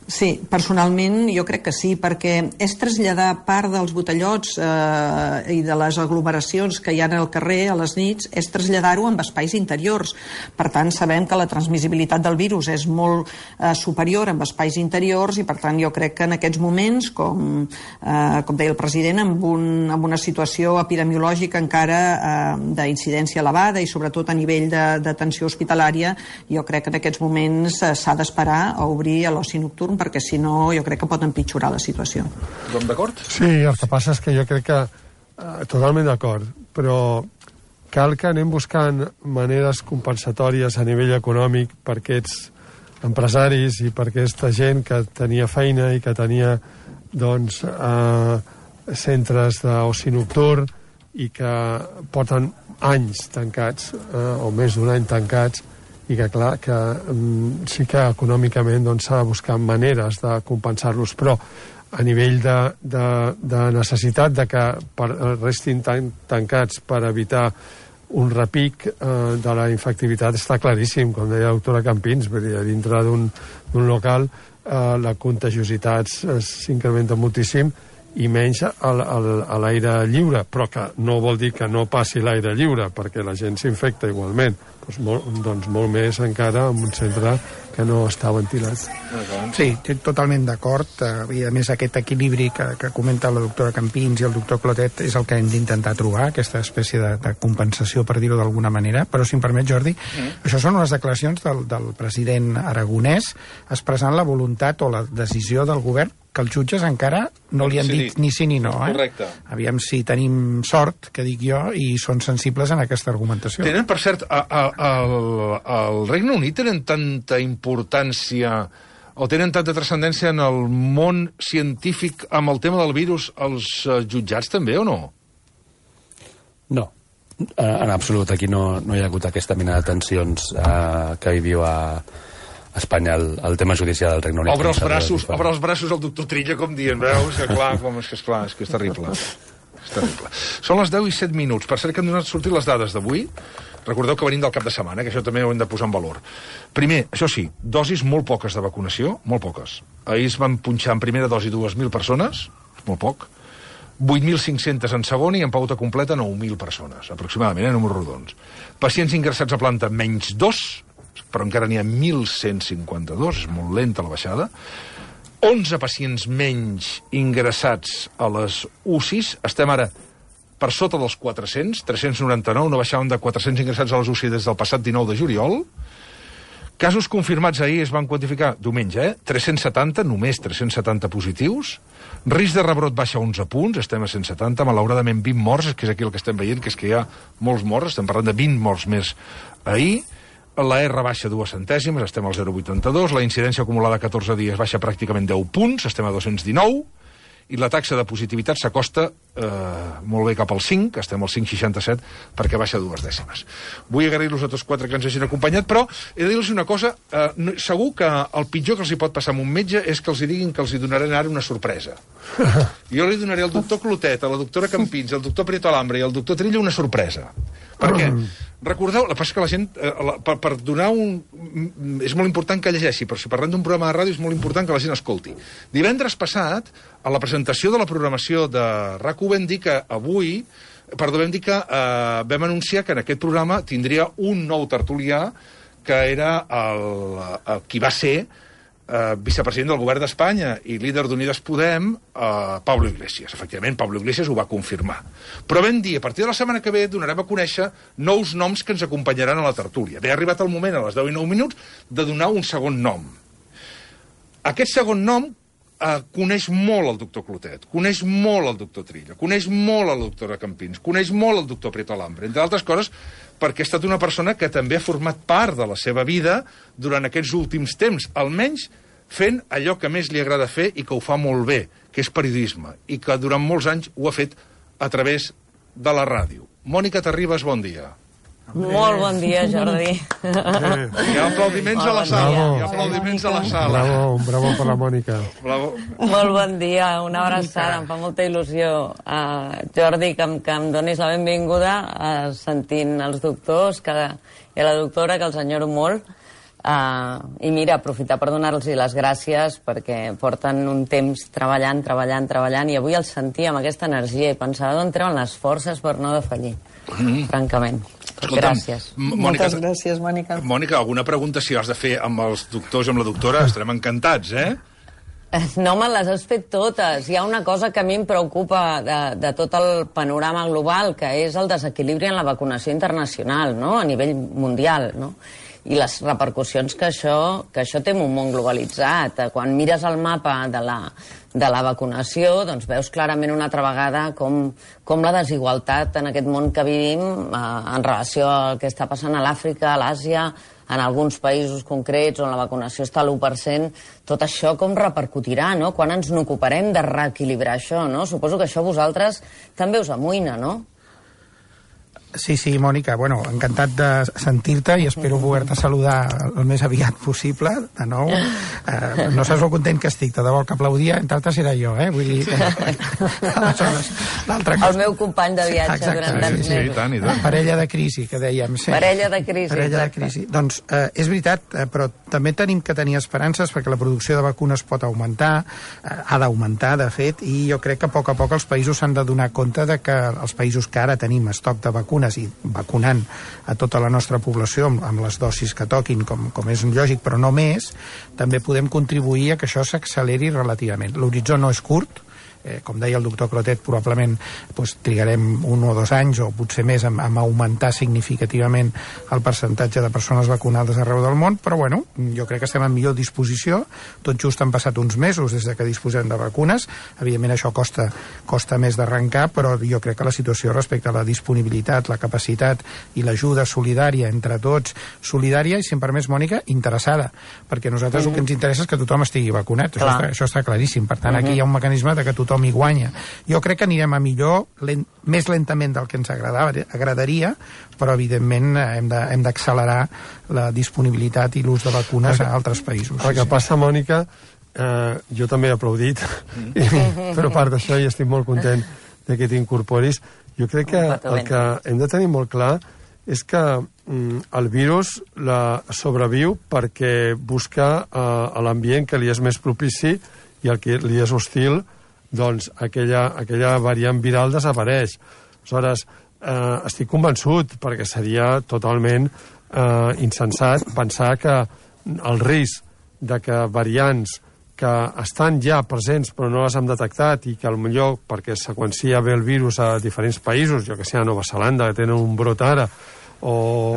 Sí, personalment jo crec que sí, perquè és traslladar part dels botellots eh, i de les aglomeracions que hi ha al carrer a les nits, és traslladar-ho en espais interiors. Per tant, sabem que la transmissibilitat del virus és molt eh, superior en espais interiors i, per tant, jo crec que en aquests moments, com, eh, com deia el president, amb, un, amb una situació epidemiològica encara eh, d'incidència elevada i sobretot a nivell d'atenció hospitalària, jo crec que en aquests moments eh, s'ha d'esperar a obrir a l'oci nocturn, perquè si no jo crec que pot empitjorar la situació. Tothom d'acord? Sí, el que passa és que jo crec que eh, totalment d'acord, però cal que anem buscant maneres compensatòries a nivell econòmic per aquests empresaris i per aquesta gent que tenia feina i que tenia doncs eh, centres d'oci nocturn i que porten anys tancats eh, o més d'un any tancats i que, clar, que um, sí que econòmicament doncs, s'ha de buscar maneres de compensar-los, però a nivell de, de, de necessitat de que per, restin tan, tancats per evitar un repic eh, de la infectivitat està claríssim, com deia la doctora Campins, vull dir, dintre d'un local eh, la contagiositat s'incrementa moltíssim i menys a l'aire lliure, però que no vol dir que no passi l'aire lliure, perquè la gent s'infecta igualment. Doncs molt, doncs molt més encara en un centre que no està ventilat. Sí, estic totalment d'acord. I a més aquest equilibri que, que comenta la doctora Campins i el doctor Clotet és el que hem d'intentar trobar, aquesta espècie de, de compensació, per dir-ho d'alguna manera. Però si em permet, Jordi, mm. això són unes declaracions del, del president aragonès expressant la voluntat o la decisió del govern que els jutges encara no li han dit ni sí ni no. Eh? Correcte. Aviam si tenim sort, que dic jo, i són sensibles en aquesta argumentació. Tenen, per cert, a, a, a, al Regne Unit tenen tanta importància o tenen tanta transcendència en el món científic amb el tema del virus els uh, jutjats també, o no? No. En absolut. Aquí no, no hi ha hagut aquesta mena de tensions uh, que hi viu a Espanya el, el tema judicial del Regne Unit. Obre els braços, obre els braços al doctor Trilla, com dient, veus? Que clar, com és que és clar, és que és terrible. És terrible. Són les deu i set minuts. Per cert que han donat sortir les dades d'avui. Recordeu que venim del cap de setmana, que això també ho hem de posar en valor. Primer, això sí, dosis molt poques de vacunació, molt poques. Ahir es van punxar en primera dosi dues mil persones, molt poc, vuit mil cinc-cents en segona i en pauta completa nou mil persones, aproximadament, en números rodons. Pacients ingressats a planta, menys dos, però encara n'hi ha mil cent cinquanta-dos, és molt lenta la baixada. onze pacients menys ingressats a les U C Is, estem ara per sota dels quatre-cents, tres-cents noranta-nou, no baixaven de quatre-cents ingressats a les U C I des del passat dinou de juliol. Casos confirmats ahir es van quantificar diumenge, eh? tres-cents setanta, només tres-cents setanta positius. Risc de rebrot baixa onze punts, estem a cent setanta, malauradament vint morts, que és aquí el que estem veient, que és que hi ha molts morts, estem parlant de vint morts més ahir. La R baixa dues centèsimes, estem al zero coma vuitanta-dos, la incidència acumulada a catorze dies baixa pràcticament deu punts, estem a dos-cents dinou, i la taxa de positivitat s'acosta eh, molt bé cap al cinc, estem al cinc coma seixanta-set, perquè baixa dues dècimes. Vull agrair-los a tots quatre que ens hagin acompanyat, però he de dir-los una cosa, eh, no, segur que el pitjor que els hi pot passar amb un metge és que els hi diguin que els hi donaran ara una sorpresa. Jo li donaré al doctor Clotet, a la doctora Campins, al doctor Prieto Alambre i al doctor Trilla una sorpresa. Per què? Recordeu, la passa que la gent, eh, la, per, per donar un... És molt important que llegeixi, però si parlem d'un programa de ràdio és molt important que la gent escolti. Divendres passat, a la presentació de la programació de R A C u vam dir que avui, perdó, vam dir que eh, vam anunciar que en aquest programa tindria un nou tertulià que era el, el qui va ser eh, vicepresident del govern d'Espanya i líder d'Unides Podem, eh, Pablo Iglesias. Efectivament, Pablo Iglesias ho va confirmar. Però vam dir, a partir de la setmana que ve donarem a conèixer nous noms que ens acompanyaran a la tertúlia. Bé, ha arribat el moment, a les deu i nou minuts, de donar un segon nom. Aquest segon nom eh, coneix molt el doctor Clotet, coneix molt el doctor Trilla, coneix molt la doctora Campins, coneix molt el doctor Prieto Alambre, entre altres coses perquè ha estat una persona que també ha format part de la seva vida durant aquests últims temps, almenys fent allò que més li agrada fer i que ho fa molt bé, que és periodisme, i que durant molts anys ho ha fet a través de la ràdio. Mònica Terribas, bon dia. Molt bon dia, Jordi. Hi ha aplaudiments a la sala. Hi ha aplaudiments a la sala. Bravo, bravo per la Mònica. Bravo. Molt bon dia, una abraçada. Em fa molta il·lusió, uh, Jordi, que, em, que em donis la benvinguda uh, sentint els doctors que, i la doctora, que els enyoro molt. Uh, I mira, aprofitar per donar-los les gràcies perquè porten un temps treballant, treballant, treballant, i avui els sentia amb aquesta energia i pensava d'on treuen les forces per no defallir, mm. francament. Escolta'm, gràcies. Mònica, moltes gràcies, Mònica. Mònica, alguna pregunta si has de fer amb els doctors i amb la doctora? Estarem encantats, eh? No me les has fet totes. Hi ha una cosa que a mi em preocupa de, de tot el panorama global, que és el desequilibri en la vacunació internacional, no? A nivell mundial, no? I les repercussions que això, que això té en un món globalitzat. Quan mires el mapa de la, de la vacunació, doncs veus clarament una altra vegada com, com la desigualtat en aquest món que vivim eh, en relació al que està passant a l'Àfrica, a l'Àsia, en alguns països concrets on la vacunació està a l'u per cent, tot això com repercutirà, no? Quan ens n'ocuparem de reequilibrar això, no? Suposo que això vosaltres també us amoïna, no? Sí, sí, Mònica, bueno, encantat de sentir-te i espero poder-te saludar el més aviat possible, de nou. Eh, no saps el content que estic, de debò, el que aplaudia, entre altres era jo, eh? Vull dir... Aleshores, l'altra cosa... El meu company de viatge sí, durant tants mesos. Sí, i tant, i tant. Parella de crisi, que dèiem. Sí. Parella de crisi, Parella exacte. de crisi. Doncs eh, és veritat, eh, però també tenim que tenir esperances perquè la producció de vacunes pot augmentar, eh, ha d'augmentar, de fet, i jo crec que a poc a poc els països s'han de donar compte de que els països que ara tenim estoc de vacunes i vacunant a tota la nostra població amb, amb les dosis que toquin, com, com és lògic, però no més, també podem contribuir a que això s'acceleri relativament. L'horitzó no és curt, eh, com deia el doctor Clotet, probablement doncs, trigarem un o dos anys o potser més en, en augmentar significativament el percentatge de persones vacunades arreu del món, però bueno, jo crec que estem en millor disposició. Tot just han passat uns mesos des de que disposem de vacunes, evidentment això costa, costa més d'arrencar, però jo crec que la situació respecte a la disponibilitat, la capacitat i l'ajuda solidària entre tots, solidària i, si em permets, Mònica, interessada, perquè a nosaltres mm. el que ens interessa és que tothom estigui vacunat, això està, això està claríssim, per tant aquí hi ha un mecanisme de que tothom hi guanya. Jo crec que anirem a millor, lent, més lentament del que ens agradava, agradaria, però evidentment hem de, hem d'accelerar la disponibilitat i l'ús de vacunes a altres països. El que passa, Mònica, eh, jo també he aplaudit, mm. però a part d'això i estic molt content de que t'incorporis. Jo crec que el que hem de tenir molt clar és que mm, el virus la sobreviu perquè busca eh, a l'ambient que li és més propici i el que li és hostil, doncs aquella, aquella variant viral desapareix. Aleshores, eh, estic convençut, perquè seria totalment eh, insensat pensar que el risc de que variants que estan ja presents però no les hem detectat i que potser perquè es seqüencia bé el virus a diferents països, jo que sé, a Nova Zelanda, que tenen un brot ara, o,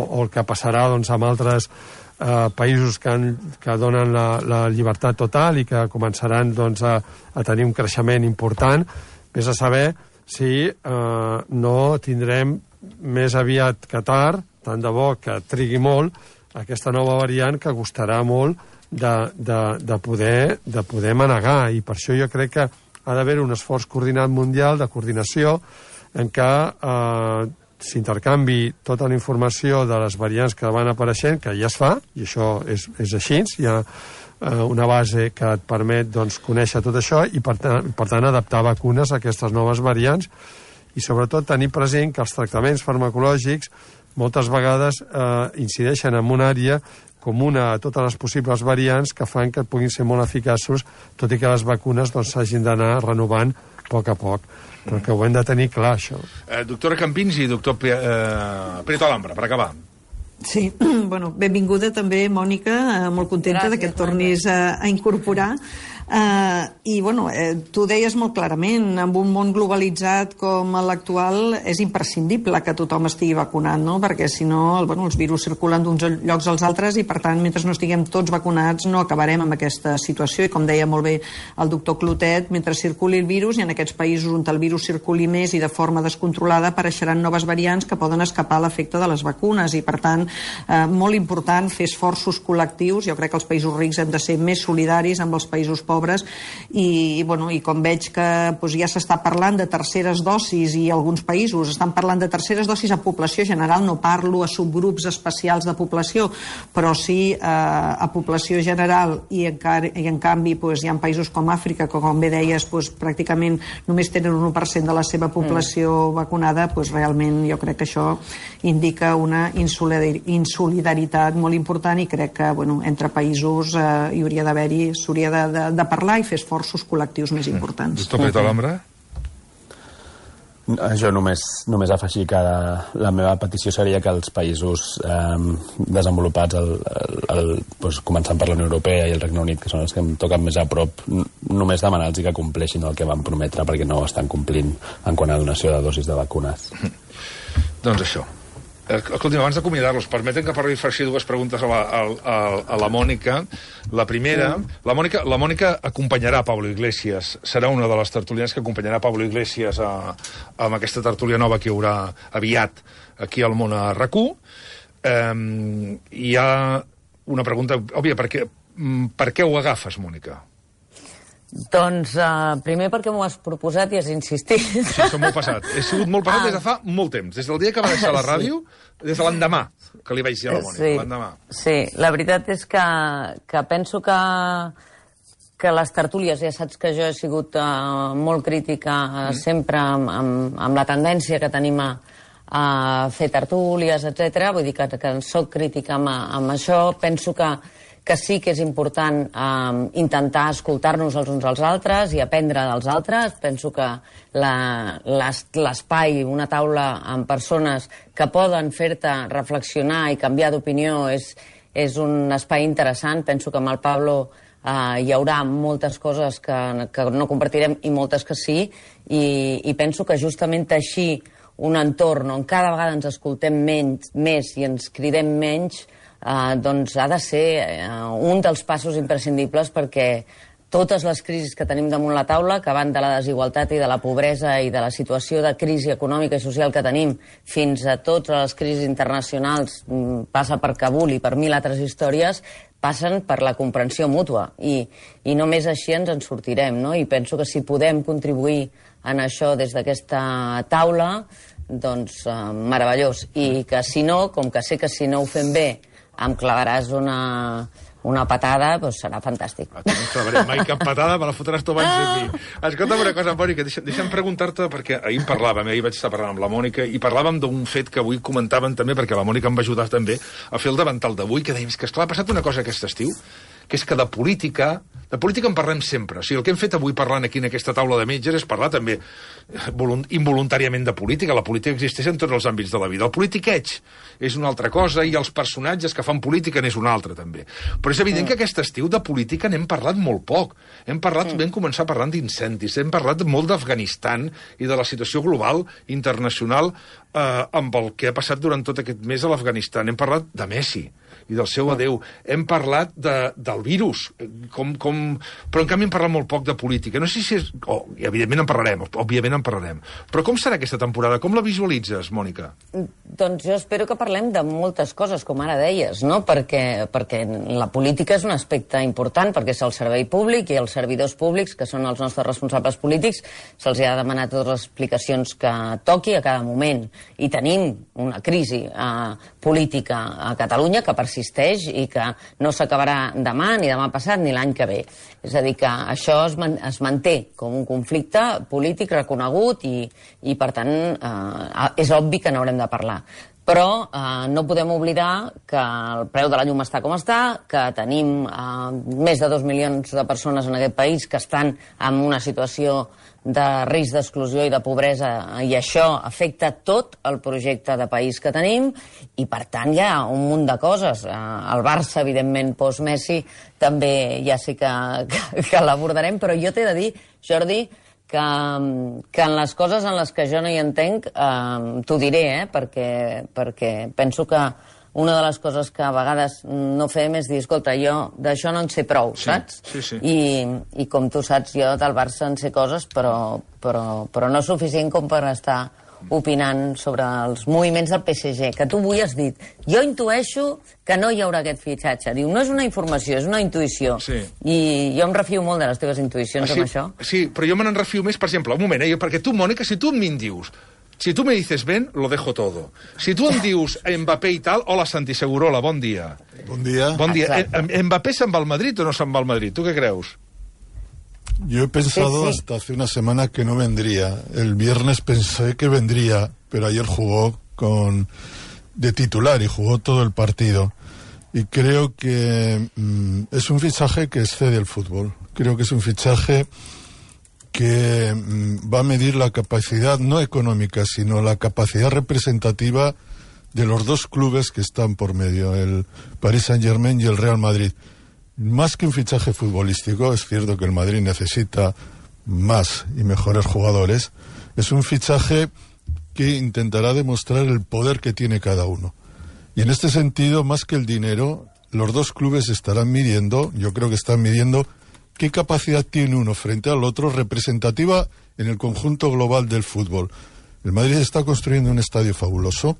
o el que passarà doncs, amb altres eh, països que, han, que donen la, la llibertat total i que començaran doncs, a, a tenir un creixement important, vés a saber si eh, no tindrem més aviat que tard, tant de bo que trigui molt, aquesta nova variant que costarà molt de, de, de, poder, de poder manegar, i per això jo crec que ha d'haver un esforç coordinat mundial de coordinació en què eh, s'intercanvi tota la informació de les variants que van apareixent, que ja es fa, i això és, és així, hi ha eh, una base que et permet doncs, conèixer tot això i per tant, per tant adaptar vacunes a aquestes noves variants i sobretot tenir present que els tractaments farmacològics moltes vegades eh, incideixen en una àrea comuna a totes les possibles variants que fan que puguin ser molt eficaços, tot i que les vacunes doncs, s'hagin d'anar renovant a poc a poc. Però que ho hem de tenir clar, això. Eh, doctora Campins i doctor P eh, Prieto Alhambra, per acabar. Sí, bueno, benvinguda també, Mònica, eh, molt contenta de que et tornis a, a incorporar. Uh, I, bueno, eh, tu deies molt clarament, en un món globalitzat com l'actual és imprescindible que tothom estigui vacunat, no? Perquè si no, el, bueno, els virus circulen d'uns llocs als altres i, per tant, mentre no estiguem tots vacunats no acabarem amb aquesta situació. I, com deia molt bé el doctor Clotet, mentre circuli el virus i en aquests països on el virus circuli més i de forma descontrolada apareixeran noves variants que poden escapar a l'efecte de les vacunes i, per tant, eh, molt important fer esforços col·lectius. Jo crec que els països rics hem de ser més solidaris amb els països pobres pobres, i, bueno, i com veig que doncs, ja s'està parlant de terceres dosis i alguns països estan parlant de terceres dosis a població general, no parlo a subgrups especials de població, però sí eh, a població general, i, encara, i en canvi doncs, hi ha països com Àfrica, que com bé deies doncs, pràcticament només tenen un u per cent de la seva població mm. vacunada, doncs realment jo crec que això indica una insolidaritat molt important, i crec que bueno, entre països eh, hi hauria d'haver-hi, s'hauria de, de, de parlar i fer esforços col·lectius més importants. Doctor Prieto Alhambra? Jo només, només afegir que la, la meva petició seria que els països eh, desenvolupats, el, el, el, doncs, començant per la Unió Europea i el Regne Unit, que són els que em toquen més a prop, només demanar-los que compleixin el que van prometre, perquè no ho estan complint en quant a donació de dosis de vacunes. Doncs això. Escolti, abans d'acomiadar-los, permeten que parli faci dues preguntes a la, a, a la Mònica. La primera, la Mònica, la Mònica acompanyarà Pablo Iglesias, serà una de les tertulianes que acompanyarà Pablo Iglesias a, a aquesta tertúlia nova que hi haurà aviat aquí al món a RAC u. Um, hi ha una pregunta òbvia, per què, per què ho agafes, Mònica? Doncs uh, primer perquè m'ho has proposat i has insistit. Sí, som molt passat. He sigut molt passat ah. des de fa molt temps. Des del dia que va deixar la ràdio, sí. Des de l'endemà que li vaig dir a la Mònica. Sí, l'endemà. Sí, la veritat és que, que penso que, que les tertúlies, ja saps que jo he sigut uh, molt crítica uh, mm. sempre amb, amb, amb la tendència que tenim a, a fer tertúlies, etcètera. Vull dir que, que soc crítica amb, amb això. Penso que que sí que és important eh, intentar escoltar-nos els uns als altres i aprendre dels altres. Penso que l'espai, una taula amb persones que poden fer-te reflexionar i canviar d'opinió és, és un espai interessant. Penso que amb el Pablo eh, hi haurà moltes coses que, que no compartirem i moltes que sí, i, i penso que justament teixir un entorn on cada vegada ens escoltem menys, més i ens cridem menys, Uh, doncs ha de ser uh, un dels passos imprescindibles, perquè totes les crisis que tenim damunt la taula, que van de la desigualtat i de la pobresa i de la situació de crisi econòmica i social que tenim, fins a totes les crisis internacionals, um, passa per Kabul i per mil altres històries, passen per la comprensió mútua, i, i només així ens en sortirem, no? I penso que si podem contribuir en això des d'aquesta taula, doncs uh, meravellós. I que si no, com que sé que si no ho fem bé em clavaràs una, una patada, doncs serà fantàstic. No et clavaré mai cap patada, me la fotràs tu abans de mi. Escolta'm una cosa, Mònica, deixa'm, deixa'm preguntar-te, perquè ahir en parlàvem, ahir vaig estar parlant amb la Mònica, i parlàvem d'un fet que avui comentàvem també, perquè la Mònica em va ajudar també a fer el davantal d'avui, que dèiem que, esclar, ha passat una cosa aquest estiu, que és que de política, de política en parlem sempre. O sigui, el que hem fet avui parlant aquí en aquesta taula de metges és parlar també involuntàriament de política. La política existeix en tots els àmbits de la vida. El politiqueig és una altra cosa i els personatges que fan política n'és una altra, també. Però és evident que aquest estiu de política n'hem parlat molt poc. Hem parlat, vam començar parlant d'incendis, hem parlat molt d'Afganistan i de la situació global, internacional, eh, amb el que ha passat durant tot aquest mes a l'Afganistan. Hem parlat de Messi i del seu adeu. Hem parlat de, del virus, com, com... però en canvi hem parlat molt poc de política. No sé si és... Oh, evidentment en parlarem, òbviament en parlarem. Però com serà aquesta temporada? Com la visualitzes, Mònica? Doncs jo espero que parlem de moltes coses, com ara deies, no? Perquè, perquè la política és un aspecte important, perquè és el servei públic i els servidors públics, que són els nostres responsables polítics, se'ls ha de demanar totes les explicacions que toqui a cada moment. I tenim una crisi eh, política a Catalunya que persisteix i que no s'acabarà demà, ni demà passat, ni l'any que ve. És a dir, que això es, man es manté com un conflicte polític reconegut i, i per tant, eh, és obvi que n'haurem de parlar. Però eh, no podem oblidar que el preu de la llum està com està, que tenim eh, més de dos milions de persones en aquest país que estan en una situació de risc d'exclusió i de pobresa, i això afecta tot el projecte de país que tenim, i per tant hi ha un munt de coses. El Barça, evidentment, post-Messi, també ja sé que, que, que l'abordarem, però jo t'he de dir, Jordi, que, que en les coses en les que jo no hi entenc, eh, t'ho diré, eh, perquè, perquè penso que una de les coses que a vegades no fem és dir, escolta, jo d'això no en sé prou, sí, saps? Sí, sí. I, I com tu saps, jo del Barça en sé coses, però, però, però no suficient com per estar opinant sobre els moviments del P S G, que tu avui has dit, jo intueixo que no hi haurà aquest fitxatge. Diu, no és una informació, és una intuïció. Sí. I jo em refio molt de les teves intuïcions ah, sí, amb això. Sí, però jo me n'en refio més, per exemple, un moment, eh, perquè tu, Mònica, si tu a mi em dius, si tu me dices ven, lo dejo todo. Si tu em dius Mbappé i tal, hola Santi Segurola, bon dia. Bon dia. Bon dia. Exacte. Eh, ¿Mbappé se'n va al Madrid o no se'n va al Madrid? Tu què creus? Yo he pensado Sí, sí. hasta hace una semana que no vendría. El viernes pensé que vendría, pero ayer jugó con de titular y jugó todo el partido. Y creo que mm, es un fichaje que excede el fútbol. Creo que es un fichaje que mm, va a medir la capacidad no económica, sino la capacidad representativa de los dos clubes que están por medio, el Paris Saint-Germain y el Real Madrid. Más que un fichaje futbolístico, es cierto que el Madrid necesita más y mejores jugadores, es un fichaje que intentará demostrar el poder que tiene cada uno. Y en este sentido, más que el dinero, los dos clubes estarán midiendo, yo creo que están midiendo, qué capacidad tiene uno frente al otro representativa en el conjunto global del fútbol. El Madrid está construyendo un estadio fabuloso.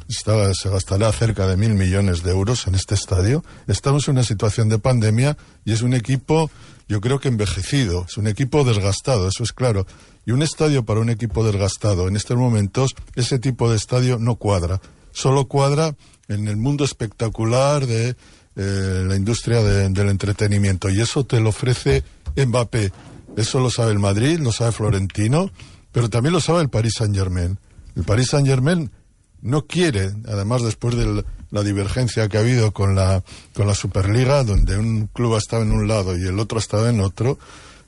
Está, se gastará cerca de mil millones de euros en este estadio. Estamos en una situación de pandemia y es un equipo, yo creo que envejecido, es un equipo desgastado, eso es claro. Y un estadio para un equipo desgastado, en estos momentos, ese tipo de estadio no cuadra. Solo cuadra en el mundo espectacular de eh, la industria de, del entretenimiento. Y eso te lo ofrece Mbappé. Eso lo sabe el Madrid, lo sabe Florentino, pero también lo sabe el Paris Saint-Germain. El Paris Saint-Germain no quiere, además después de la divergencia que ha habido con la, con la Superliga, donde un club ha estado en un lado y el otro ha estado en otro,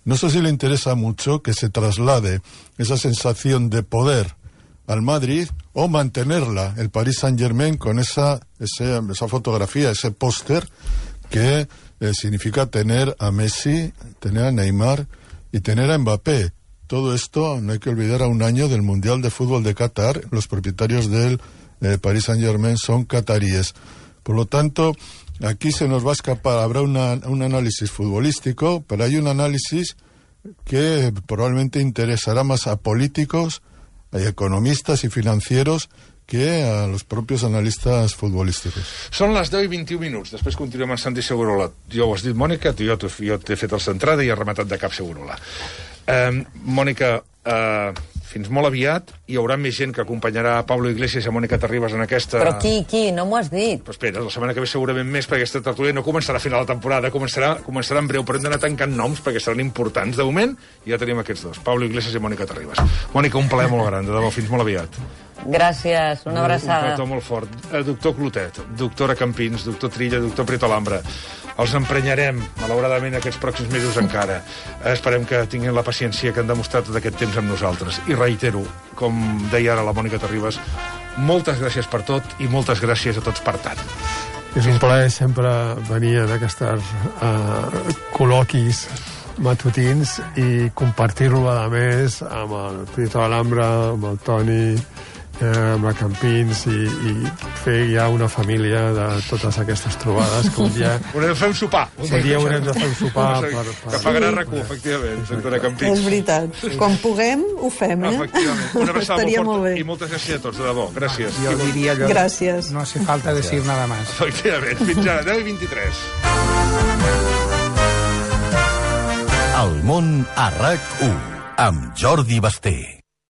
no sé si le interesa mucho que se traslade esa sensación de poder al Madrid o mantenerla el Paris Saint-Germain con esa, ese, esa fotografía, ese póster que eh, significa tener a Messi, tener a Neymar y tener a Mbappé. Todo esto, no hay que olvidar, a un año del Mundial de Fútbol de Qatar. Los propietarios del eh, Paris Saint-Germain son cataríes. Por lo tanto, aquí se nos va a escapar, habrá una, un análisis futbolístico, pero hay un análisis que probablemente interesará más a políticos, a economistas y financieros que a los propios analistas futbolísticos. Són les deu i vint-i-un minuts. Després continuem amb Santi Segurola. Jo ho has dit, Mònica, jo t'he fet el centrada i he rematat de cap Segurola. Uh, Mònica, uh, fins molt aviat hi haurà més gent que acompanyarà a Pablo Iglesias i a Mònica Terribas en aquesta... Però qui, qui? No m'ho has dit. Però espera, la setmana que ve segurament més, perquè aquesta tertúlia no començarà a final de temporada, començarà, començarà en breu, però hem d'anar tancant noms perquè seran importants. De moment ja tenim aquests dos, Pablo Iglesias i Mònica Terribas. Mònica, un plaer molt gran, de debò, fins molt aviat. Gràcies, una abraçada. Un petó molt fort. Eh, doctor Clotet, doctora Campins, doctor Trilla, doctor Prieto Alhambra. Els emprenyarem, malauradament, aquests pròxims mesos encara. Eh, esperem que tinguin la paciència que han demostrat tot aquest temps amb nosaltres. I reitero, com deia ara la Mònica Terribas, moltes gràcies per tot i moltes gràcies a tots per tant. És un plaer sempre venir en aquests uh, col·loquis matutins i compartir-lo, a més, amb el Prieto Alhambra, amb el Toni, eh, amb la Campins, i, i fer ja una família de totes aquestes trobades que un dia... Haurem de fer un sopar. Un dia haurem de fer un sopar. Per, per... Que pagarà R A C U, efectivament, doctora Campins. És veritat. Quan puguem, ho fem, eh? Efectivament. Una abraçada Estaria molt molt forta bé. i moltes gràcies a tots, de debò. Gràcies. Jo diria allò... Gràcies. No hace falta decir nada más. Efectivament. Fins ara, deu i vint-i-tres. El món a R A C u amb Jordi Basté.